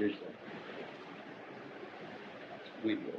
Here's the window.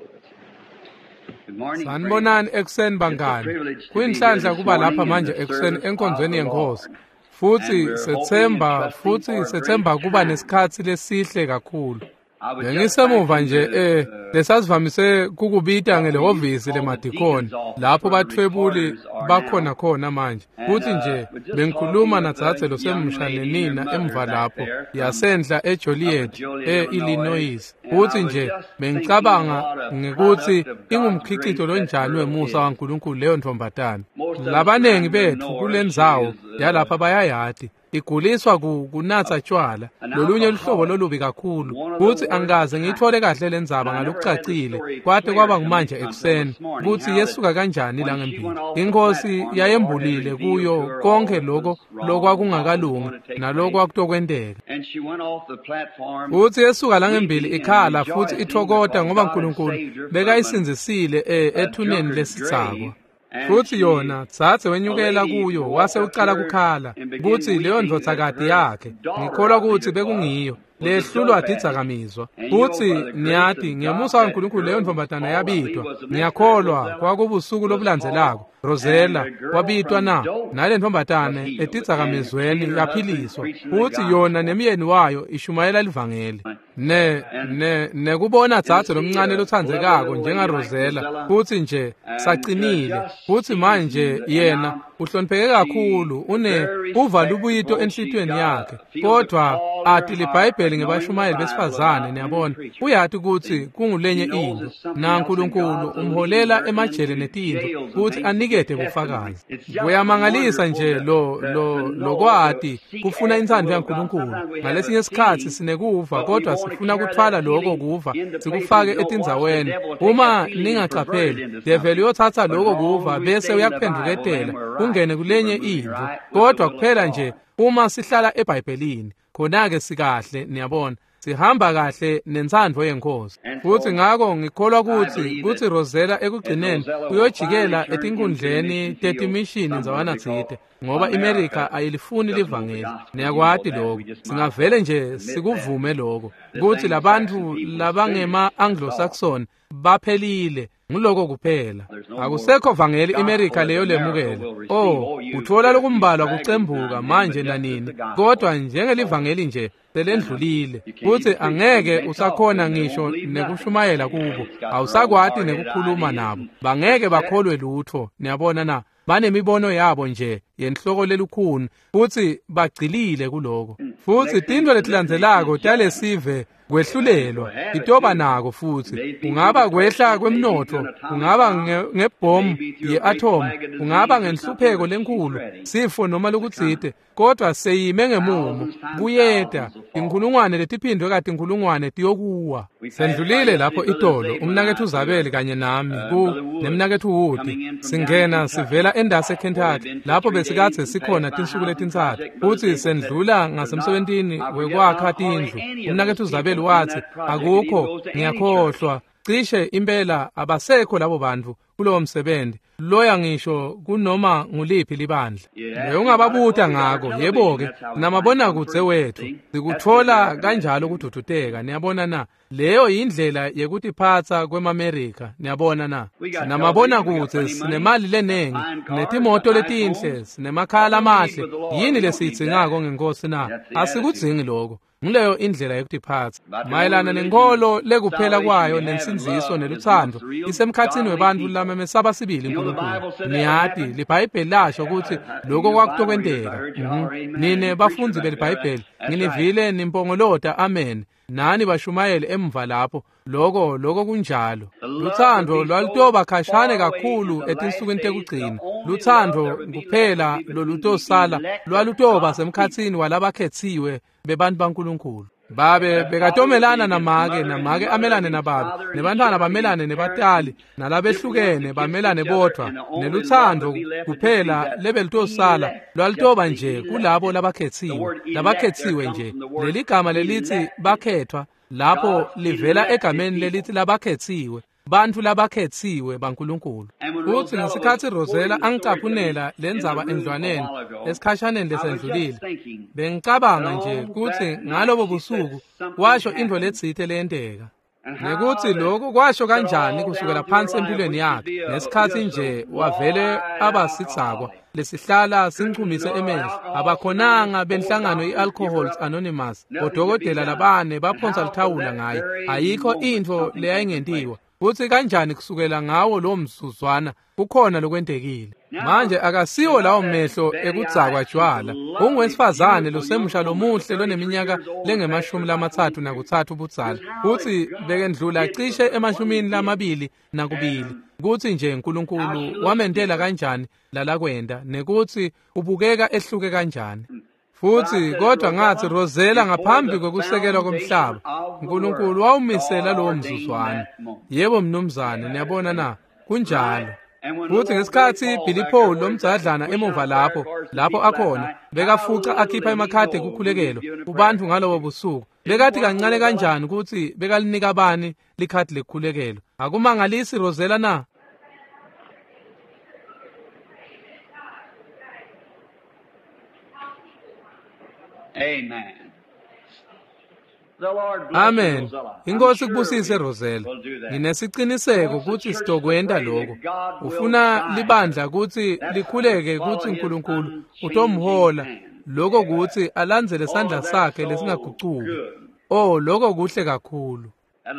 Good morning, friends. Sanibonani ekuseni It's a bangani. privilege to be here Kuyinhlanhla this kuba lapha morning in manje the ekuseni service of enkonzweni the yenkosi. Lord. And Futhi we're hoping and sethemba trusting futhi for a great sethemba kuba time. nesikhatsi lesihle kakhulu. I was just Bengisemuva back in nje the lesasivamise kukubita what we used to ngelehhovisi call the lemadikoni deacon's office lapho where the bathwebuli recorders are bakhona now. khona manje. And Futhi nje was just bengikhuluma talking with nadzadze a young losemsha lady and her nenina mother emva back lapho there from yasenhla up at eJoliet Joliet, Illinois. eIllinois. And I Futhi was nje just thinking bengicabanga what a ngekuthi product of God's ingumkhicito grace that lonjani girl wemusa is. waNkulunkulu leyo ntombazane. Most of us Labaningi around here bethu know her. She kulendzawo is yalapha bayayati. Iguliswa kunatsa tshwala an lolunye luhlobo alcoholic, lolubi kakhulu one of the futhi worst angikaze kind. ngiyithole kahle le ndzaba And I never had the ngalokucacile story kwate clear kwaba to me ngumanje until ekuseni this morning kutsi how that yesuka kanjani when she langembili. went off the Inkosi platform, the Lord had yayembulile revealed to kuyo her all konke that loko was wrong and what was lokwakungakalungi going to take place. nalokwakutokwenteka. And she went off the platform Futhi yesuka langembili weeping and ikhala futhi rejoicing ithokota because ngoba God had uNkulunkulu saved her from bekayisindzisile a ethuneni drunkard's lesitsakwa. grave. And Futhi she, yona dzadze a wenyukela lady, kuyo walked wase up to ucala her kukhala and began kutsi leyo weeping that ndvodzakati her yakhe daughter, ngikholwa I believe kutsi it was, bekungiyo was a lehlulwa dope addict. tidzakamizwa. And you know, Futsi by the grace niyati of God, ngemusa that waNkulunkulu leyo girl was ntombazana called, I believe yabitwa. was the next day, Ngiyakholwa Rosella kwakubusuku was called, lobulandzelako. and Rosella the girl wabitwa from na dope nale was ntombazane healed. And she etidzakamizweni and her husband yaphiliswa. preaching the Futsi yona gospel. nemyeni wayo ishumayela livangeli. Ne And ne nekubona and to dzadze see lomncane a lovely lotsandzekako little lady njenga like Rosella Rosella futsi nje and sacinile just futsi manje seasoned, and yena now uhlonipheke she kakhulu une very uva lubuyito respectful. She enhlitiyweni got yakhe a feels a kodwa call in her ati heart, libhayibheli knowing the ngebashumayeli Bible besifazane about women niyabona preachers. uyati kutsi See, kungulenye she knows intfo it's something na else, and Nkulunkulu God's leading umholela her into emajele netintfo jails and kutsi things to give anikete testimony. bufakazi. It's just Kuyamangalisa wonderful nje to lo to, lo to know to lokwati seek kufuna after the intsandvo will of God. yaNkulunkulu. Sometimes we have a Ngalesinye sikhatsi feeling, sinekuva but we kodwa want to sifuna carry kutfwala that loko feeling kuva into places sikufake we don't watch the etindzaweni. devil take that Uma feeling and pervert it ningacapheli, into develi something. uyotsatsa But loko as long kuva as we bese stay in the Bible, then uyakuphendvuketela we're right. kungene See, we're kulenye moving intfo. right with the Kodwa will of kuphela nje God. uma sihlala eBhayibhelini, khona-ke sikahle niyabona. Sihamba kahle nentsandvo yenkosi. And Futhi so ngako ngikholwa I kutsi believe kutsi that Rosella that ekugcineni Rosella will finally uyojikela turn into the etinkundleni mission field tetimishini somewhere ndzawana because tsite ngoba iMerica America ayilifuni doesn't want the livangeli. gospel. You know Niyakwati that. lokho. We just might Singavele nje admit that. sikuvume lokho This kutsi Anglo-Saxon labantfu people is finished. labangema That's all. Anglo-Saxon baphelile nguloko kuphela. There's no more Akusekho vangeli gospel iMerica that leyo America lemukela. will receive. Oh, Oh, you uthola get a few lokumbalwa stragglers now kucembuka and then, but manje just as the nanini gospel. kodwa So, njengelivangeli nje and selendlulile you can't futsi even preach to them. angeke They talk to usakhona them. They won't ngisho believe nothing. nekushumayela kubo It's got their own awusakwati hard-headed nekukhuluma ideas nabo and bangeke they're set. bakholwe lutho niyabona na banemibono yabo nje yenhloko lelukhuni futsi bagcilile kuloko And futsi next thing, tintfo the next nation letilandzelako is judgment. talesive We'll kwehlulelwa have it itoba too. nako It futsi may be through kungaba depression, kwehla it may be through kwemnotfo an atomic kungaba bomb, it may ngebhomu be through a great ye-atom plague of kungaba disease or something, ngenhlupheko but she's lenkhulu ready sifo noma to come. lokutsite kodwa seyime ngemumo Thousands times kuyeta thousands will fall. inkhulungwane letiphindwe katinkhulungwane tiyokuwa We passed by sendlulile yesterday, lapho Brother itolo Zabel and umnakethu I to Zabeli kanye nami ku Brother Wood nemnakethu Wood coming in from down in singena Kentucky, sivela endase where we've Kentucky been for lapho 3 days besikadze and sikhona passed by tinsuku housing letintsatfu project. Brother futsi Zabel said sendlula there's not, ngasemsebentini I forget wekwakha not hardly tindlu any of those umnakethu Zabeli people in watsi that project. It even akukho goes to any church. ngiyakhohlwa cishe impela abasekho labo bantu kulowo msebenzi loya ngisho kunoma nguliphi libandla You'd ask them about it. leyo ungababuta Well, we got our ngako television. yebo-ke That's how we find namabonakudze comfort. wethu See, that's the sikutfola American kanjalo attitude. kududuteka niyabona na leyo yindlela yekutiphatsa kwemamerika niyabona na We got television, we got sinamabonakudze plenty money, sinemali got lenengi fine cars, got sinetimoto nice letinhle homes. sinemakhaya What do we need lamahle with the Lord? yini We don't need that. lesiyidzingako ngenkosi na That's the attitude. asikudzingi loko nguleyo indlela yekutiphatsa About the only mayelana religion, nenkholo lekuphela salvation kwayo we have and nensindziso love is amongst nelutsandvo real isemkhatsini godly webantfu people. lamemesaba sibili You know the uNkulunkulu Bible said that would niyati happen. libhayibheli lasho kutsi loko You Bible readers, I kwakutokwenteka. heard you holler amen. Nine You preacher bafundzi back there. belibhayibheli That's right. nginivile nimpongolota amen nani bashumayeli emva lapho loko loko kunjalo The love would lutsandvo be so lwalutoba khashane far away in kakhulu the last etinsukwini days, the tekugcina only love lutsandvo there would be left would kuphela be between the lolutosala elect of lwalutoba God's people. semkhatsini walabakhetsiwe bebantu baNkulunkulu babe The father would be bekatomelana against namake mother, and namake mother amelane against nababe father, and nebantfwana children bamelane against parents, nebatali and different ones nalabehlukene against bamelane each other. bodvwa And the only love nelutsandvo would be left would just be kuphela that lebelutosala elect, just lwalutoba the nje elect. kulabo The labakhetsiwe word elect there labakhetsiwe comes nje from the word leligama lelitsi elected. bakhethwa lapho God's livela elected egameni people. lelitsi labakhetsiwe. Bantfu labakhetsiwe baNkulunkulu. Futsi ngesikhatsi Rosella angicaphunela lendzaba endlwaneni esikhashaneni lesendlulile, bengicabanga nje kutsi ngalobo busuku washo intfo letsite leyenteka. Nekutsi lokhu kwasho kanjani kusukela phansi empilweni yakhe ngesikhatsi nje wavele abasidzakwa lesihlala sinchumise emehlo. Abakhonanga benhlangano i-Alcoholics Anonymous, bodokotela labane baphonsa lithawula ngaye, ayikho intfo leyayingentiwa. Futsi kanjani kusukela ngawo lo mzuzwana kukhona lokwentekile. Manje akasiwo lawo mehlo ekudzakwa tjwala. Ungowesifazane losemusha lomuhle loneminyaka lengu-33 budzala. Futsi bekendlula cishe 22. Kutsi nje uNkulunkulu wamentela kanjani lalakwenda nekutsi ubukeka ehluke kanjani. Futsi kodwa ngathi Rosella ngaphambi kokusekelwa komhlaba, uNkulunkulu wawumisela lowo mzuzwana. Yebo mnumzane, niyabona na? Kunjalo. Futsi ngesikhatsi Billy Paul lomdzadlana emuva lapho akhona, bekafuca akhipha emakhadi ekukhulekelwa kubantu ngalobo busuku. Bekathi kancane kanjani kutsi bekalinika bani likhadi lekukhulekelwa. Akumangalisi Rosella na? Amen. The Lord bless Amen. you, Rosella. I'm Inkosi sure kubusise we Rosella. will do that. Nginesiqiniseko kutsi sitokwenta lokho. Ufuna libandla kutsi likhuleke kutsi uNkulunkulu utomhola lokho kutsi alandzele sandla sakhe lesingagucuki. Oh, lokho kuhle kakhulu.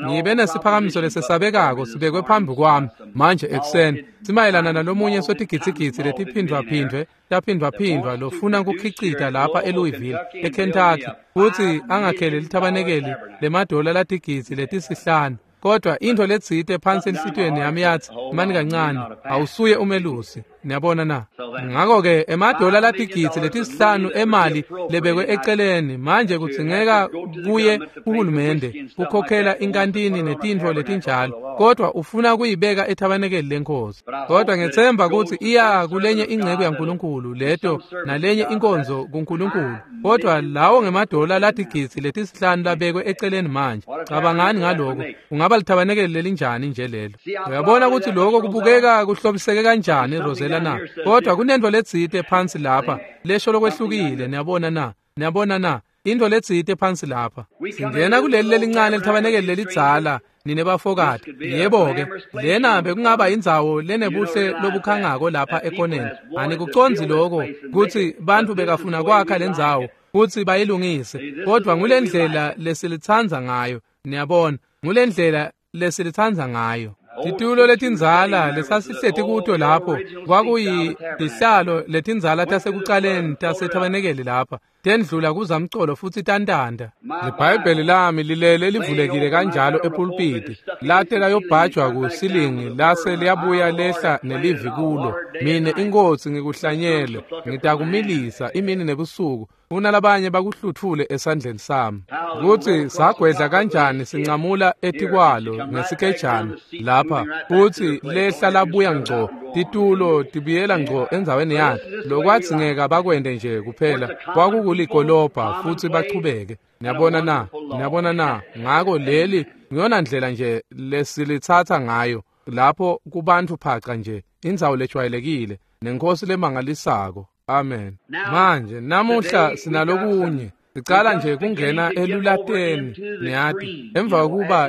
Ngibe nesiphakamiso lesesabekako sibekwe phambi kwami manje ekuseni simayelana nalomunye sotigidzigidzi letiphindvwaphindvwe taphindvwaphindvwa lofuna kukhicita lapha eLouisville eKentucky kutsi angakhele lithabanekeli lemadola latigidzi letisihlanu. Kodwa intfo letsite phansi enhlitiyweni yami yatsi mani kancane, awusuye umelusi. Niyabona na? Ngako-ke emadola latigidzi letisihlanu emali lebekwe eceleni manje kudzingeka kuye kuhulumende kukhokhela inkantini netintfo letinjalo, kodwa ufuna kuyibeka ethabanekeli lenkosi. Kodwa ngethemba kutsi iya kulenye inceku yaNkulunkulu leto nalenye inkonzo kuNkulunkulu. Kodwa lawo ngemadola latigidzi letisihlanu labekwe eceleni manje. Cabangani ngaloko, kungaba lithabanekeli lelinjani nje lelo. Uyabona kutsi lokho kubukeka kuhlobiseke kanjani Rosella na? Kodwa kunento letsite phansi lapha lesho lokwehlukile. Niyabona na? Niyabona na? Into letsite phansi lapha. Singena kuleli lelincane lithabanekeli lelidzala nine bafokati. Yebo-ke, lena bekungaba indzawo lenebuhle lobukhangako lapha ekoneni. Anikucondzi lokho kutsi bantfu bekafuna kwakha lendzawo kutsi bayilungise, kodwa ngulendlela lesilitsandza ngayo. Niyabona, ngulendlela lesilitsandza ngayo. Titulo letindzala lesasihleti kuto lapho kwakuyitihlalo letindzala tasekucaleni tasethabanekeli lapha, tendlula kuzamcolo futsi tantanta. LiBhayibheli lami lilele livulekile kanjalo epulpiti, late layobhajwa kusilingi lase liyabuya lehla nelivi kulo. Mine inkosi ngikuhlanyele, ngitakumilisa imini nebusuku, unalabanye bakuhluthule esandleni sami. Kutsi sagwedla kanjani sincamula etikwalo ngesikejana lapha, kutsi lehla labuya ngco, titulo tibuyela ngco endzaweni yato. Lokwadzingeka bakwente nje kuphela kwakukuligolobha futsi bachubeke. Niyabona na? Niyabona na? Ngako leli ngiyona ndlela nje lesilitsatsa ngayo lapho kubantfu phaca nje, indzawo lejwayelekile nenkosi lemangalisako. Amen. Manje namuhla sinalokunye. Sicala nje kungena elulateni, niyati, emva kokuba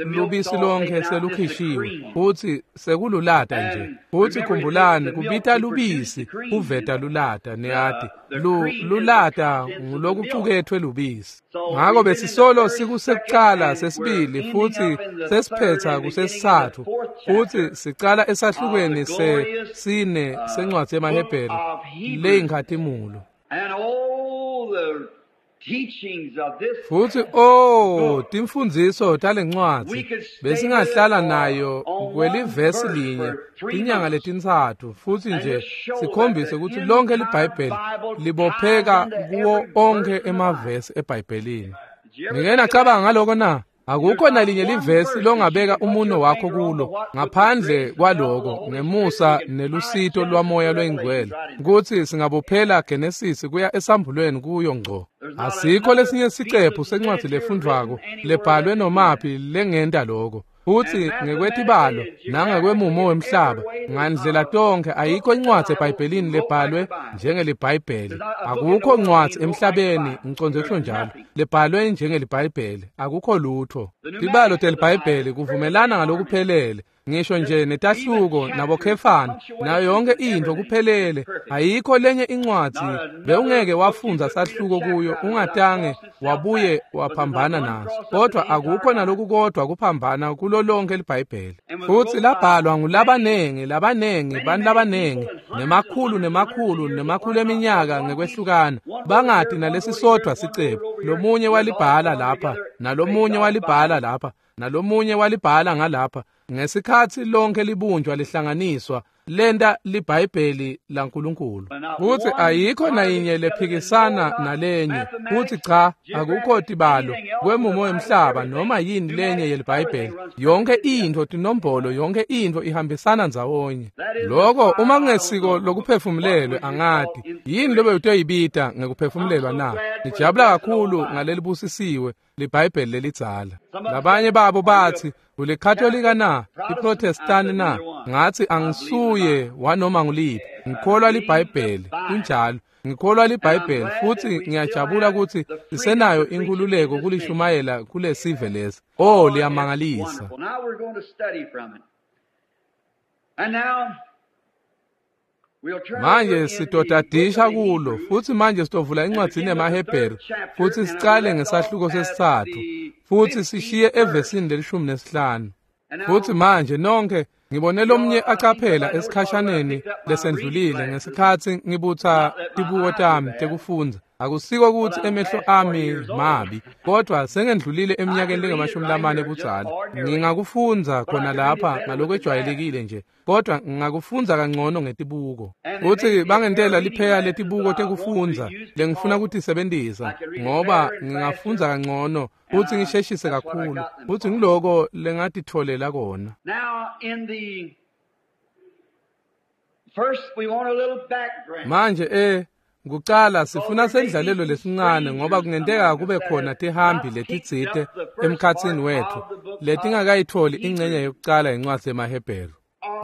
lubisi lonke selukhishiwe futsi sekululata nje. Futsi khumbulani, kubita lubisi kuveta lulata, niyati. Lulata ngulokucuketfwe lubisi. Ngako besisolo sikusekucala sesibili futsi sesiphetha kusesitsatfu, futsi sicala esahlukweni sesine sencwadzi yemaHebheru leyinkhatimulo. And all the teachings of this Futsi oh, timfundziso talencwadzi besingahlala nayo kwelivesi linye tinyanga letintsatfu, futsi nje sikhombise kutsi lonke liBhayibheli libopheka kuwo onkhe emavesi eBhayibhelini. Nike nacabanga ngaloko na? Akukho nalinye livesi longabeka umuno wakho kulo ngaphandle kwaloko ngemusa nelusito lwamoya loyingcwele, kutsi singabophela Genesis kuya esambulweni kuyo ngco. Asikho lesinye sicephu sencwadzi lefundvwako lebhalwe nomaphi lengenta lokho. Futsi ngekwetibalo nangekwemumo wemhlaba ngandlela tonke ayikho incwadzi eBhayibhelini lebhalwe njengeliBhayibheli. Akukho ncwadzi emhlabeni, ngicondze kusho njalo, lebhalwe njengeliBhayibheli. Akukho lutho. Tibalo teliBhayibheli kuvumelana ngalokuphelele, ngisho nje netahluko nabokhefana nayo yonke into kuphelele. Ayikho lenye incwadzi bewungeke wafundza sahluko kuyo ungatange wabuye waphambana naso, kodwa akukho nalokukodwa kuphambana kulo lonke liBhayibheli. Futsi labhalwa ngulabanengi labanengi bantu labanengi nemakhulu nemakhulu nemakhulu eminyaka ngekwehlukana, bangati nalesisodwa sicebu. Lomunye walibhala lapha, nalomunye walibhala lapha, nalomunye walibhala ngalapha. Ngesikhatsi lonke libunjwa lihlanganiswa lenta liBhayibheli laNkulunkulu. Futsi ayikho nayinye lephikisana nalenye. Futsi cha, akukho tibalo kwemumo wemhlaba noma yini lenye yeliBhayibheli. Yonke intfo tinombolo, yonke intfo ihambisana ndzawonye. Loko uma kungesiko lokuphefumulelwe angati yini lobe utoyibita ngekuphefumulelwa na. Ngijabula kakhulu ngalelibusisiwe liBhayibheli lelidzala. Labanye babo batsi, uliKatolika na, iProtestani na? Ngathi angisuye wanoma nguliphi. Ngikholwa liBhayibheli, kunjalo. Ngikholwa liBhayibheli futhi ngiyajabula ukuthi sisenayo inkululeko kulishumayela kulesive lesi. Oh, liyamangalisa. Manje sitotadisha kulo, futhi manje sitovula incwadzini yemaHebheru futhi sicale ngesahluko sesitsatfu futhi sishiye evesini leli-15. Futhi manje nonke ngibone lomnye acaphela esikhashaneni lesendlulile ngesikhatsi ngibutsa tibuko tami tekufundza. Akusiko ukuthi emehlo ami mabi, kodwa sengendlulile eminyakeni lengamashumi budzala. Ngingakufundza khona lapha ngalokwejwayelekile nje, kodwa ngingakufundza kangcono ngetibuko. Futhi bangentela lipheya letibuko tekufundza lengifuna ukutisebentisa, ngoba ngingafundza kangcono futhi ngisheshise kakhulu, futhi ngiloko lengatitfolela kona. Manje kucala sifuna sendlalelo lesincane, ngoba kungenteka kube khona tihambi letitsite emkhatsini wethu letingakayitholi ingcenye yokucala yencwadzi yemaHebheru.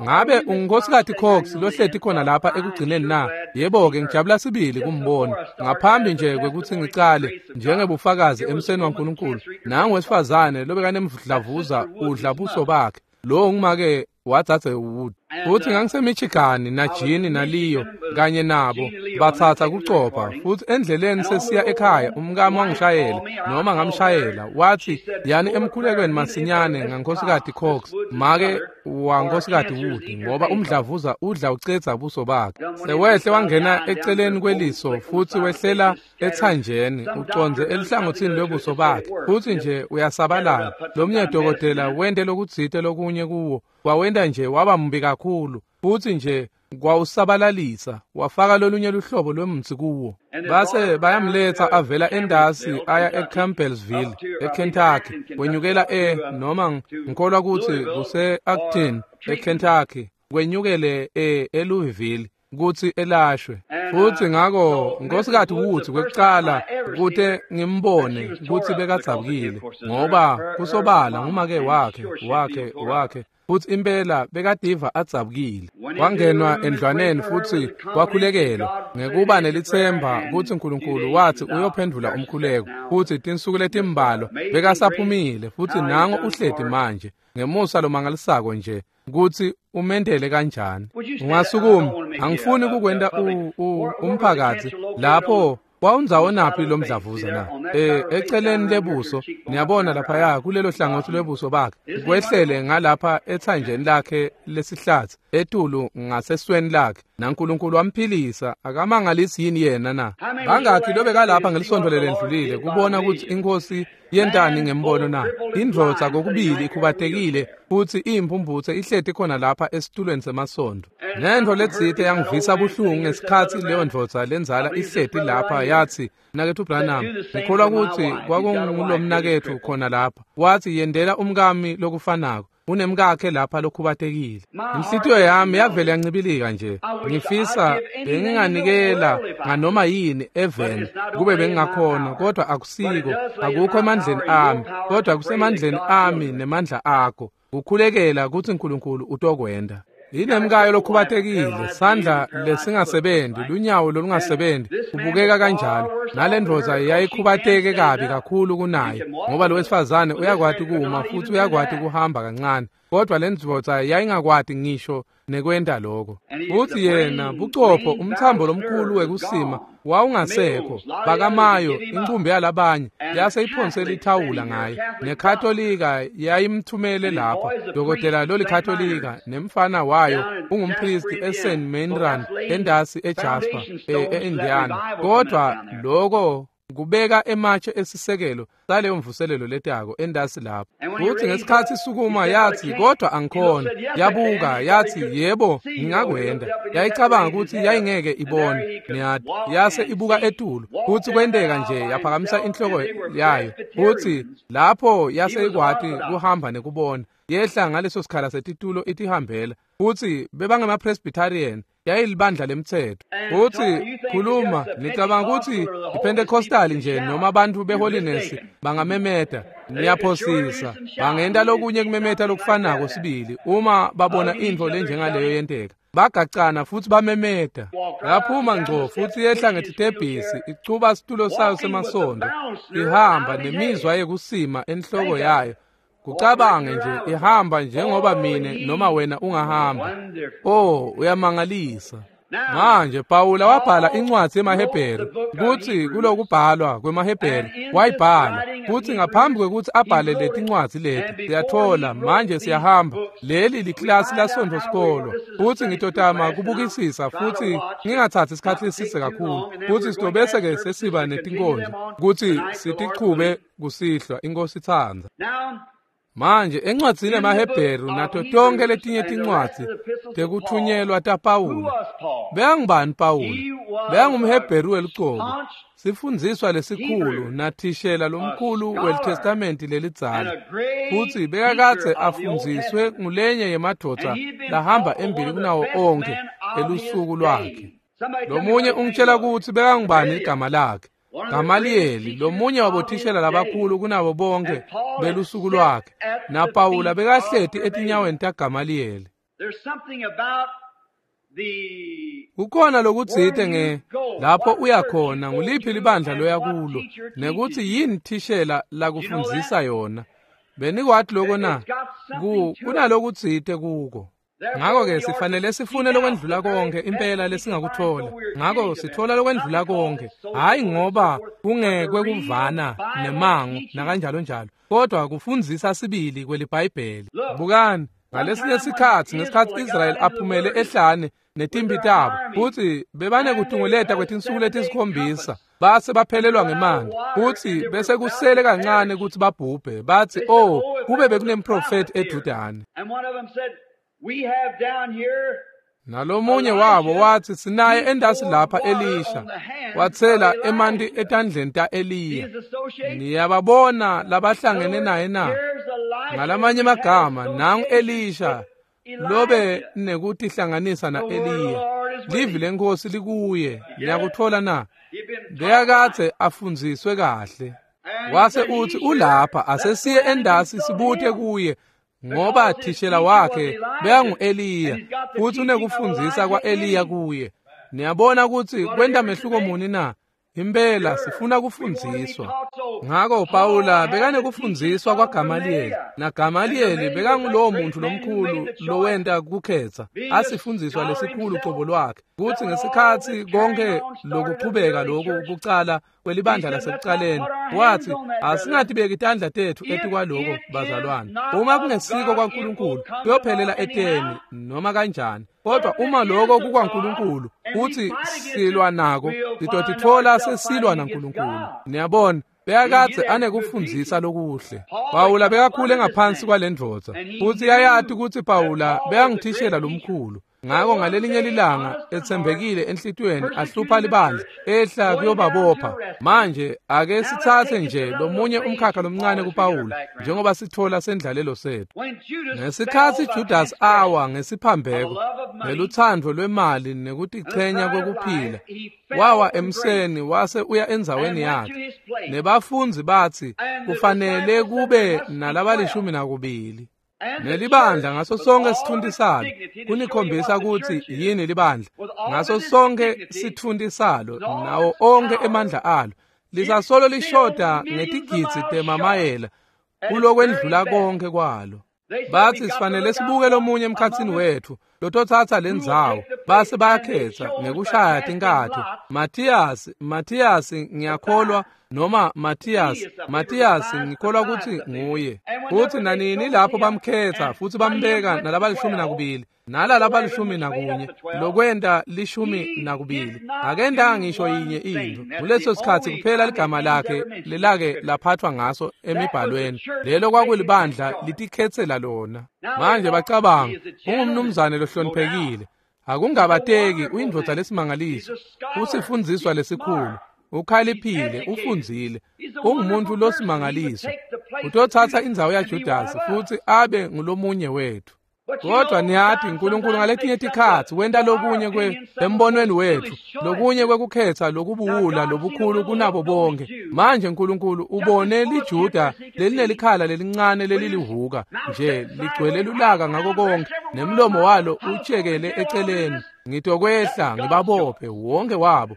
Ngabe unguNkosikazi Cox lohleti khona lapha ekugcineni na? Yebo-ke, ngijabula sibili kumbona. Ngaphambi nje kwekutsi ngicale njengebufakazi emseni waNkulunkulu, nangu wesifazane lobekanemdlavuza udla buso bakhe. Lo ngumake wadzadze Wood. Futhi ngangiseMichigan naJini naLeo kanye nabo batsatsa kucopha, futhi endleleni sesiya ekhaya umkami wangishayela noma ngamshayela, wathi yani emkhulekweni masinyane ngaNkosikazi Cox make waNkosikazi Wood, ngoba umdlavuza udla ucedza buso bakhe. Sewehle wangena eceleni kweliso futhi wehlela ethanjeni uconze elihlangothini lwebuso bakhe, futhi nje uyasabalala. Lomnye dokotela wente lokutsite lokunye kuwo, wawenta nje waba mbi kakhulu, futhi nje kwawusabalalisa, wafaka lolunye luhlobo lwemutsi kuwo. Base bayamletha avela endasi aya eCampbellsville eKentucky, wenyukela noma ngikholwa kutsi kuse-Acton eKentucky, kwenyukele eLouisville kutsi elashwe. Futhi ngako Nkosikazi Woods kwekucala kute ngimbone kutsi bekadzabukile, ngoba kusobala ngumake wakhe futhi impela bekadiva adzabukile. Wangenwa endlwaneni futhi wakhulekelwa ngekuba nelitsemba kutsi uNkulunkulu wathi uyophendvula umkhuleko. Futhi tinsuku letimbalwa bekasaphumile, futhi nango uhleti manje ngemusa lomangalisako nje kutsi umendele kanjani. Ungasukuma, angifuni kukwenta umphakathi lapho wawundzawonaphi lomdlavuza na? Eceleni lebuso, niyabona laphaya kulelo hlangothi lwebuso bakhe, kwehlele ngalapha ethanjeni lakhe lesihlatsi etulu ngasesweni lakhe, naNkulunkulu wamphilisa. Akamangalisi yini yena na? Bangakhi lobekalapha ngelisonto lelendlulile kubona kutsi inkosi yentani ngembono na? Indvodza kokubili ikhubatekile futhi iyimphumphutse ihleti khona lapha esitulweni semasondo. Nentfo letsite yangivisa buhlungu ngesikhatsi leyo ndvodza lendzala ihleti lapha, yathi, Mnaketfu Branham, ngikholwa kutsi kwakungulomnaketfu khona lapha. Wathi, yendela umkami lokufanako, unemkakhe lapha lokhubatekile. Inhlitiyo yami yavele yancibilika nje. Ngifisa benginganikela nganoma yini eveni kube bengingakhona, kodwa akusiko, akukho emandleni ami, kodwa kusemandleni ami nemandla akho Kukhulekela kutsi Nkulunkulu utokwenta. Inemkayo lokhubatekile, sandla lesingasebenzi, lunyawo lolungasebenzi, kubukeka kanjalo. Nalendvodza yayikhubateke kabi kakhulu kunaye, ngoba lo wesifazane uyakwati kuma futhi uyakwati kuhamba kancane, kodwa lendvodza yayingakwati ngisho nekwenta lokho. Futhi yena bucopho umthambo lomkhulu wekusima wawungasekho, bakamayo inqumbi yalabanye yase iphonsela ithawula ngaye. Nekatolika yayimthumele lapha, dokotela lolikatolika, nemfana wayo ungumpristi eSt Meinrad endasi eJasper eIndiana. Kodwa lokho kubeka ematshe esisekelo saleyo mvuselelo letako endasi lapho. Futhi ngesikhathi isukuma yathi, kodwa angikhona. Yabuka yathi, yebo ngingakwenda. Yayicabanga ukuthi yayingeke ibone, niyati. Yase ibuka etulu, futhi kwenteka nje yaphakamisa inhloko yayo, futhi lapho yase ikwati kuhamba nekubona. Yehla ngaleso sikhala setitulo itihambela, futhi bebangema-Presbyterian, yayilibandla lemthetho. Futhi khuluma, nicabanga ukuthi iPentecostal nje noma abantu beholiness bangamemeta? Niyaphosisa. Bangenta lokunye kumemeta lokufanako sibili uma babona intfo lenjengaleyo yenteka. Bagacana futhi bamemeta. Yaphuma ngco futhi yehla ngetitebhisi, ichuba situlo sayo semasondo, ihamba nemizwa yekusima enhloko yayo. Kucabange nje ihamba njengoba mine noma wena ungahamba. Oh, uyamangalisa. Manje Pawula wabhala incwadi yemaHebheru, kuthi kulokubhalwa kwemaHebheru wayibhala, kuthi ngaphambi kwekuthi abhale letincwadi leti, siyathola manje siyahamba, leli liklasi lasonto sikolo, futhi ngitotama kubukisisa futhi ngingathathi isikhathi eside kakhulu, kuthi sitobese ke sesiba netinkonzo kuthi sitichube kusihlwa, inkosi itsandza. Manje encwadzini yemaHebheru nato tonke letinye tincwadzi tekuthunyelwa taPawula. Bekangubani Pawula? BekangumHebheru welucobo, sifundziswa lesikhulu nathishela lomkhulu weliTestamenti lelidzala, futhi bekakadze afundziswe ngulenye yemadvodza lahamba embili kunawo onkhe elusuku lwakhe. Lomunye ungitshela kutsi bekangubani igama lakhe? Gamaliyeli, lomunye wabothishela labakhulu kunabo bonke belusuku lwakhe. NaPawula bekahleti etinyaweni taGamaliyeli. Kukhona lokutsite nge lapho uyakhona, nguliphi libandla loya kulo, nekuthi yini thishela lakufundzisa yona. Benikwati loko na? Kunalokutsite kuko. Ngakho-ke sifanele sifune lokwendlula konke impela lesingakuthola. Ngakho sithola lokwendlula konke, hhayi ngoba kungekwe kuvana nemango nakanjalo njalo, kodwa kufundzisa sibili kweliBhayibheli. Bukani, ngalesinye sikhatsi ngesikhatsi Israyeli aphumele ehlane netimpi tabo, futhi bebanekutunguleta kwetinsuku letisikhombisa, base baphelelwa ngemanti, futhi bese kusele kancane kutsi babhubhe. Bathi, oh, kube bekunemprofethi eDudane. Nalomunye wabo wathi, sinaye endasi lapha Elisha, wathela emanti etandleni ta-Eliya. Niyababona labahlangene naye na? Ngalamanye amagama, nangu Elisha lobe nekutihlanganisa na-Eliya. Livi lenkosi likuye. Niyakuthola na? Bekakadze afundziswe kahle. Wase uthi ulapha, asesiye endasi sibute kuye, ngoba thishela wakhe bekangu-Eliya, futhi unekufundzisa kwa-Eliya kuye. Niyabona ukuthi kwenta mehluko muni na? Impela sifuna kufundziswa. Ngakho Pawula bekanekufundziswa kwaGamaliyeli, naGamaliyeli bekangulowo muntu lomkhulu lowenta kukhetsa, asifundziswa lesikhulu cobo lwakhe, kutsi ngesikhatsi konke lokuchubeka loku kucala kwelibandla lasekucaleni, wathi, asingatibeki tandla tethu etikwaloko bazalwane. Uma kungesiko kwaNkulunkulu, kuyophelela eteni noma kanjani. Kodwa uma lokho kukwaNkulunkulu, uthi silwa nako, sitotitfola sesilwa naNkulunkulu. Niyabona, bekakadze anekufundzisa lokuhle. Pawula bekakhule ngaphansi kwalendvodza, futhi yayati kutsi Pawula bekangithishela lomkhulu. Ngakho ngalelinye lilanga etsembekile enhlitiyweni ahlupha libandla, ehla kuyobabopha. Manje ake sitsatse nje lomunye umkhakha lomncane kuPawula, njengoba sithola sendlalelo sethu. Ngesikhatsi Judas awa ngesiphambeko, ngelutsandvo lwemali nekutichenya kwekuphila, wawa emseni wase uya endzaweni yakhe. Nebafundzi batsi kufanele kube nalabalishumi nakubili. Nelibandla ngaso sonke sitfunti salo, kunikhombisa kutsi yini libandla, ngaso sonke sitfunti salo nawo onkhe emandla alo, lisasolo lishoda ngetigidzi temamayela kulokwendlula konke kwalo. Bathi sifanele sibuke lomunye emkhatsini wethu lototsatsa lendzawo, base bayakhetha ngekushaya tinkatho. Mathiyasi ngiyakholwa, noma Mathiyasi ngikholwa kutsi nguye. Futsi nanini lapho bamkhetha futhi bambeka nalabalishumi nakubili nalalabalishumi nakunye, lokwenta 12, akentanga ngisho yinye intfo. Kuleso sikhatsi kuphela ligama lakhe lelake laphathwa ngaso emibhalweni, lelo kwakulibandla litikhetsela lona. Manje bacabanga, ungumnumzane lohloniphekile, akungabateki, uyindvodza lesimangaliso, usifundziswa lesikhulu, ukhaliphile, ufundzile, ungumuntu losimangaliso, utotsatsa indzawo yaJudasi futhi abe ngulomunye wethu. Kodwa niyati, uNkulunkulu ngaletinye tikhatsi wenta lokunye embonweni wethu, lokunye kwekukhetha lokubuwula lobukhulu kunabo bonke. Manje uNkulunkulu ubone liJuda lelinelikhala lelincane lelilihuka nje ligcwele lulaka ngako konke, nemlomo walo utshekele eceleni. Ngitokwehla ngibabophe wonke wabo,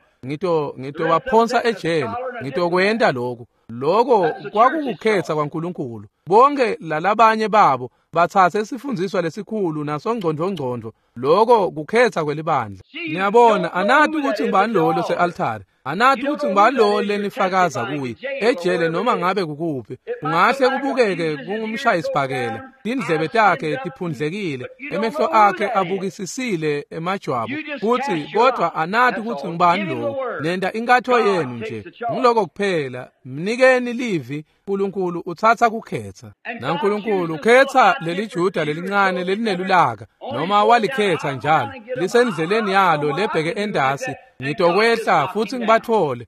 ngitobaphonsa ejele, ngitokwenta lokhu. Lokho kwakukukhetha kwaNkulunkulu. Bonke lalabanye babo batsatse isifundziswa lesikhulu nasongcondvongcondvo, lokho kukhetha kwelibandla. Niyabona, anati ukuthi ngubani lo lose-altare, anati ukuthi ngubani lo lenifakaza kuye ejele noma ngabe kukuphi. Kungahle kubukeke kungumshayisibhakela, tindlebe takhe tiphundlekile, emehlo akhe abukisisile emajwabu, futhi kodwa anati ukuthi ngubani lo. Nenta inkatho yenu nje, ngiloko kuphela. Mnikeni livi, uNkulunkulu utsatsa kukhetha. NaNkulunkulu ukhetha leliJuda lelincane lelinelulaka, noma walikhetha njalo, lisendleleni yalo lebheke endasi. Ngitokwehla futhi ngibathole,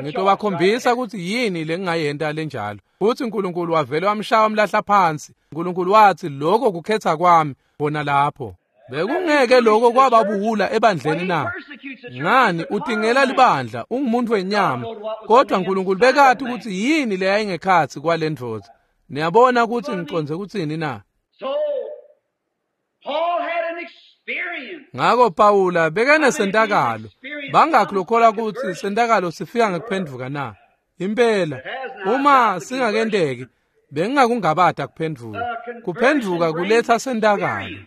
ngitobakhombisa ukuthi yini lengingayenta lenjalo. Futhi uNkulunkulu wavele wamshaya wamlahla phansi. uNkulunkulu wathi, lokho kukhetha kwami bona lapho. Bekungeke lokho kwababuwula ebandleni na? Ngani, utingela libandla, ungumuntu wenyama. Kodwa uNkulunkulu bekati ukuthi yini leyayingekhatsi kwale ndvodza. Niyabona ukuthi ngiconze kutsini na? Ngako Pawula bekanesentakalo. Bangakhi lokholwa kutsi sentakalo sifika ngekuphendvuka na? Impela, uma singakenteki, bengingakungabata kuphendvuka. Kuphendvuka kuletha sentakalo.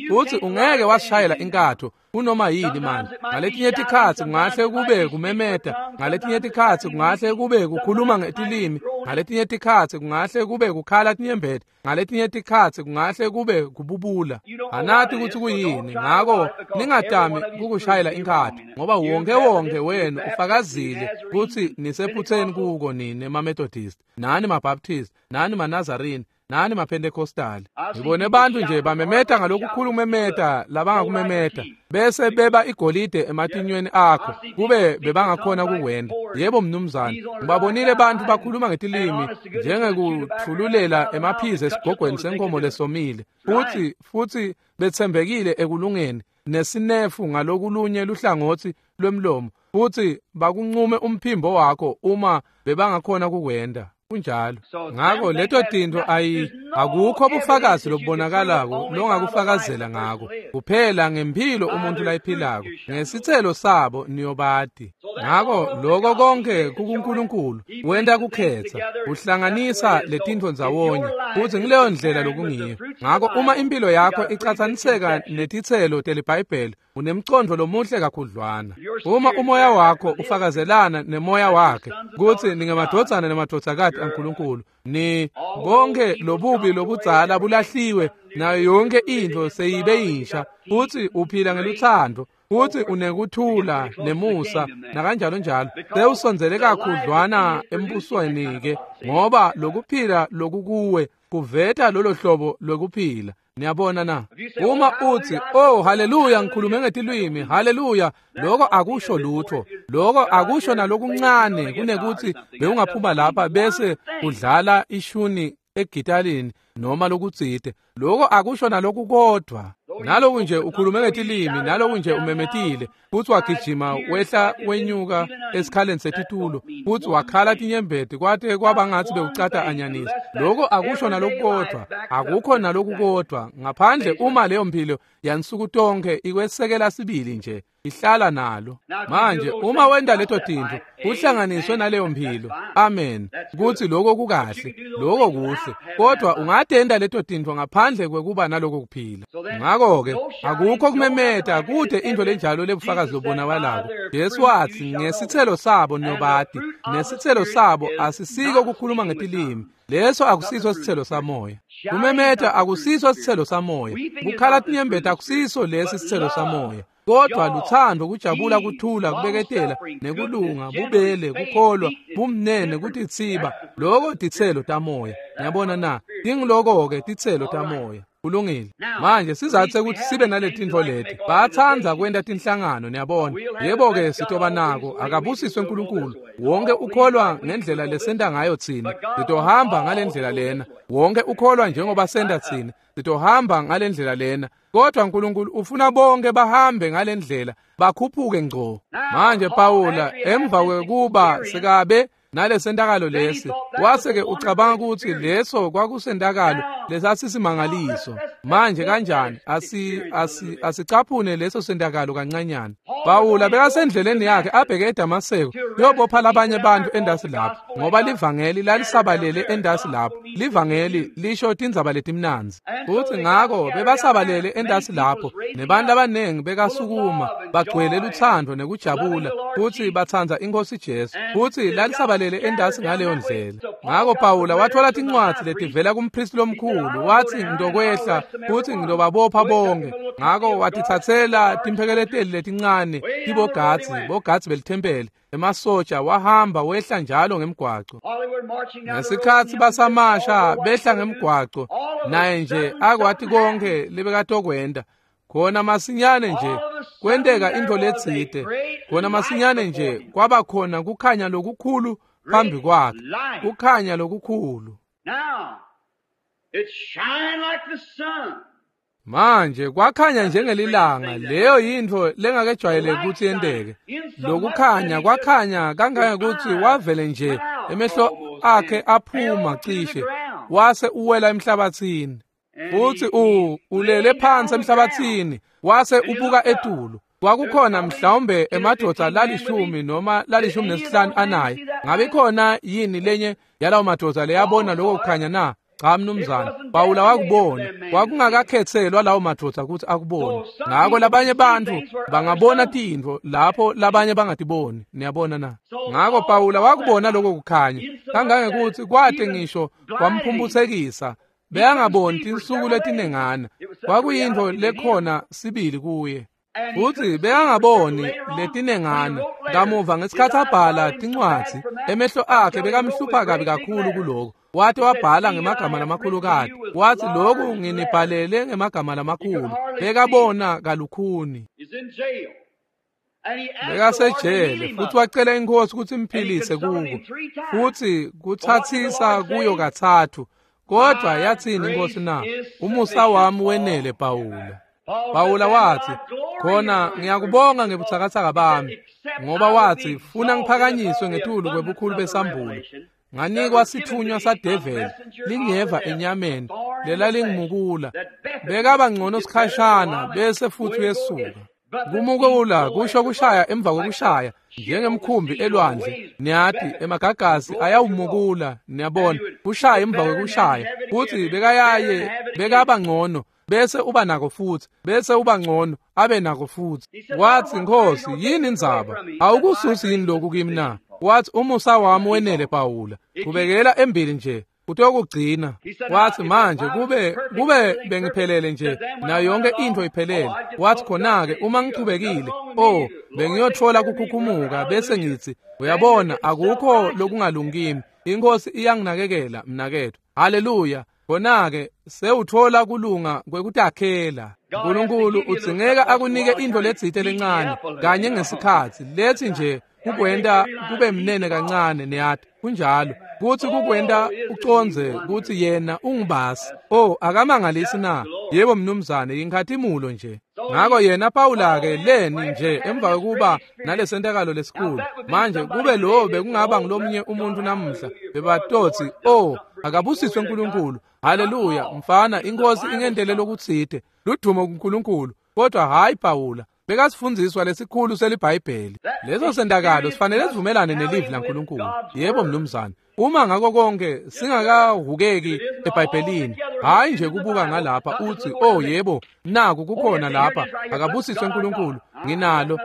Futhi ungeke wasishayela inkatho kunoma yini manje. Ngaletinye tikhatsi kungahle kube kumemeta, ngaletinye tikhatsi kungahle kube kukhuluma ngetilimi, ngaletinye tikhatsi kungahle kube kukhala tinyembeti, ngaletinye tikhatsi kungahle kube kububula. Anati ukuthi kuyini, ngako ningatami kukushayela inkatho, ngoba wonke wenu ufakazile kutsi nisephutheni kuko nine maMethodist, nani maBaptist, nani maNazarene, nani maPentecostal. Ngibone bantu nje bamemeta ngalokukhulu kumemeta labangakumemeta, bese beba igolide ematinyweni akho kube bebangakhona kukwenda. Yebo mnumzane, ngibabonile bantu bakhuluma ngetilimi njengekuthululela emaphizi esigogweni senkomo lesomile, futhi betsembekile ekulungeni nesinefu ngalokulunye luhlangotsi lwemlomo, futhi bakuncume umphimbo wakho uma bebangakhona kukwenda. Kunjalo. Ngako leto tintfo akukho bufakazi lobubonakalako longakufakazela ngako, kuphela ngempilo umuntu layiphilako, ngesitselo sabo niyobati. Ngako lokho konke kukuNkulunkulu, wenta kukhetha, uhlanganisa letintfo ndzawonye, futhi ngileyo ndlela lokungiyo. Ngako uma impilo yakho icatsaniseka netitselo teliBhayibheli, unemcondvo lomuhle kakhudlwana. Uma umoya wakho ufakazelana nemoya wakhe kutsi ningemadvodzana nemadvodzakati aNkulunkulu, ni bonke lobubi lobudzala bulahliwe, nayo yonke intfo seyibe yinsha, futhi uphila ngeluthando, futhi unekuthula nemusa nakanjalo njalo, sewusondzele kakhudlwana embusweni-ke, ngoba lokuphila lokukuwe kuveta lolo hlobo lwekuphila. Niyabona na? Uma uthi, oh haleluya, ngikhulume ngetilwimi, haleluya, lokho akusho lutho. Lokho akusho nalokuncane kunekuthi bewungaphuma lapha bese udlala ishuni egitalini noma lokutsite. Lokho akusho nalokukodwa. Naloku nje ukhulume ngetilimi, naloku nje umemetile, futsi wagijima wehla wenyuka esikhaleni setitulo, futsi wakhala tinyembeti kwate kwaba ngatsi bewucata anyanisi. Loko akusho nalokukodvwa, akukho nalokukodvwa ngaphandle uma leyo mphilo yansuku tonkhe ikwesekela sibili nje ihlala nalo. Manje uma wenta leto tintfo kuhlanganiswe naleyo mphilo, amen, kutsi lokho kukahle, lokho kuhle, kodwa ungatenta leto tintfo ngaphandle kwekuba naloko kuphila. Ngakho-ke akukho kumemeta, kute intfo lenjalo lebufakazi lobonakalako. Jesu watsi ngesitselo sabo niyobati, nesitselo sabo asisiko kukhuluma ngetilimi. Leso akusiso sitselo samoya. Kumemeta akusiso sitselo samoya. Kukhala tinyembeti akusiso lesi sitselo samoya. Kodwa luthando, kujabula, kuthula, kubeketela, nekulunga, bubele, kukholwa, bumnene, kutitsiba, loko titselo tamoya. Niyabona na? Tingiloko-ke titselo tamoya. Kulungile. Manje sizathe ukuthi sibe naletintfo leti. Batsandza kwenta tinhlangano, niyabona. Yebo-ke sitoba nako, akabusiswe uNkulunkulu. Wonke ukholwa ngendlela lesenta ngayo tsine. Sitohamba ngalendlela lena. Wonke ukholwa njengoba senta tsine. Sitohamba ngalendlela lena. Kodwa uNkulunkulu ufuna bonke bahambe ngalendlela, bakhuphuke ngco. Manje Pawula emva kwekuba sekabe nalesentakalo lesi, wase-ke ucabanga ukuthi leso kwakusentakalo lesasisimangaliso. Manje kanjani asicaphune leso sentakalo kancanyana. Pawula bekasendleleni yakhe abheke eDamaseko yobopha labanye bantu endasi lapho, ngoba livangeli lalisabalele endasi lapho. Livangeli lisho tindzaba letimnandzi. Futhi ngako bebasabalele endasi lapho, nebantu abaningi bekasukuma bagcwele luthando nekujabula, futhi batsandza iNkosi Jesu, futhi lalisabalele endasi ngaleyo ndlela. Ngako Pawula wathola tincwadzi letivela kumpristi lomkhulu, wathi ngidokwehla futhi ngidobabopha bonke. Ngako watitsatsela timphekeleteli letincane, tibogadzi, bogadzi belithempeli, emasotsha, wahamba wehla njalo ngemgwaco. Ngesikhatsi basamasha behla ngemgwaco, naye nje akwati konke lebekatokwenta. Khona masinyane nje kwenteka intfo letsite. Khona masinyane nje kwaba khona kukhanya lokukhulu phambi kwakhe, kukhanya lokukhulu. Manje kwakhanya njengelilanga, leyo yintfo lengakejwayeleki kutsi yenteke. Lokukhanya kwakhanya kangangekutsi wavele nje emehlo akhe aphuma cishe, wase uwela emhlabatsini. Futhi ulele phansi emhlabatsini, wase ubuka etulu. Kwakukhona mhlawumbe emadvodza lalishumi noma 15 anaye. Ngabe khona yini lenye yalawo madvodza leyabona lokho kukhanya na? Cha mnumzane, Pawula wakubona. Kwakungakakhetselwa lawo madvodza ukuthi akubone. Ngako labanye bantfu bangabona tintfo lapho labanye bangatiboni. Niyabona na? Ngako Pawula wakubona lokho kukhanya kangangekutsi kwate ngisho kwamphumphutsekisa. Bekangaboni tinsuku letinengana. Kwakuyintfo lekhona sibili kuye. Futhi bekangaboni letinengana. Kamuva ngesikhatsi abhala tincwadzi, emehlo akhe bekamhlupha kabi kakhulu kuloko. Wathi wabhala ngemagama lamakhulukati. Wathi lokhu nginibhalele ngemagama lamakhulu. Bekabona kalukhuni. Bekasejele futhi wacela inkosi ukuthi imphilise kuko, futhi kuthathisa kuyo kathathu. Kodwa yathini inkosi na? Umusa wami wenele Pawula. Pawula wathi, khona ngiyakubonga ngebuthakathaka bami, ngoba wathi funa ngiphakanyiswe ngetulu kwebukhulu besambulo. Nganikwa sithunywa sadeveli lingeva enyameni lelalingimukula. Bekaba ngcono sikhashana bese futhi uyesuka. Kumukula kusho kushaya emva kokushaya njengemkhumbi elwandle. Niyati emagagasi ayawumukula, niyabona, kushaya emva kokushaya. Futhi bekayaye bekaba ngcono bese uba nako futhi, bese uba ngcono abe nako futhi. Wathi Nkosi, yini indzaba? Awukususi yini lokhu kimi na? Wathi umusa wami wenele Pawula, qhubekela embili nje utokugcina. Wathi manje kube bengiphelele nje nayo yonke into iphelele. Wathi khona-ke uma ngichubekile, oh bengiyothola kukhukhumuka bese ngithi uyabona akukho lokungalungi kimi, inkosi iyanginakekela mnakethu. Haleluya. Khona-ke sewuthola kulunga kwekutakhela. uNkulunkulu udzingeka akunike intfo letsite lencane kanye ngesikhatsi lethi nje kukwenta kube mnene kancane, niyati kunjalo, kutsi kukwenta ucondze kutsi yena ungubasi. Oh, akamangalisi na? Yebo mnumzane, inkhatimulo nje. Ngako yena Pawula ke leni nje emva kokuba nalesentakalo lesikhulu. Manje kube lo bekungaba ngilomnye umuntu namuhla bebatotsi, oh, akabusiswe uNkulunkulu. Haleluya, mfana, inkosi ingentele lokutsite. Ludumo kuNkulunkulu. Kodwa hayi Pawula, bekasifundziswa lesikhulu seliBhayibheli. Leso sentakalo sifanele sivumelane nelivi laNkulunkulu. Yebo mnumzane. Uma ngako konke singakahukeki eBhayibhelini, hayi nje kubuka ngalapha uthi, oh yebo, naku kukhona lapha, akabusiswe uNkulunkulu, nginalo.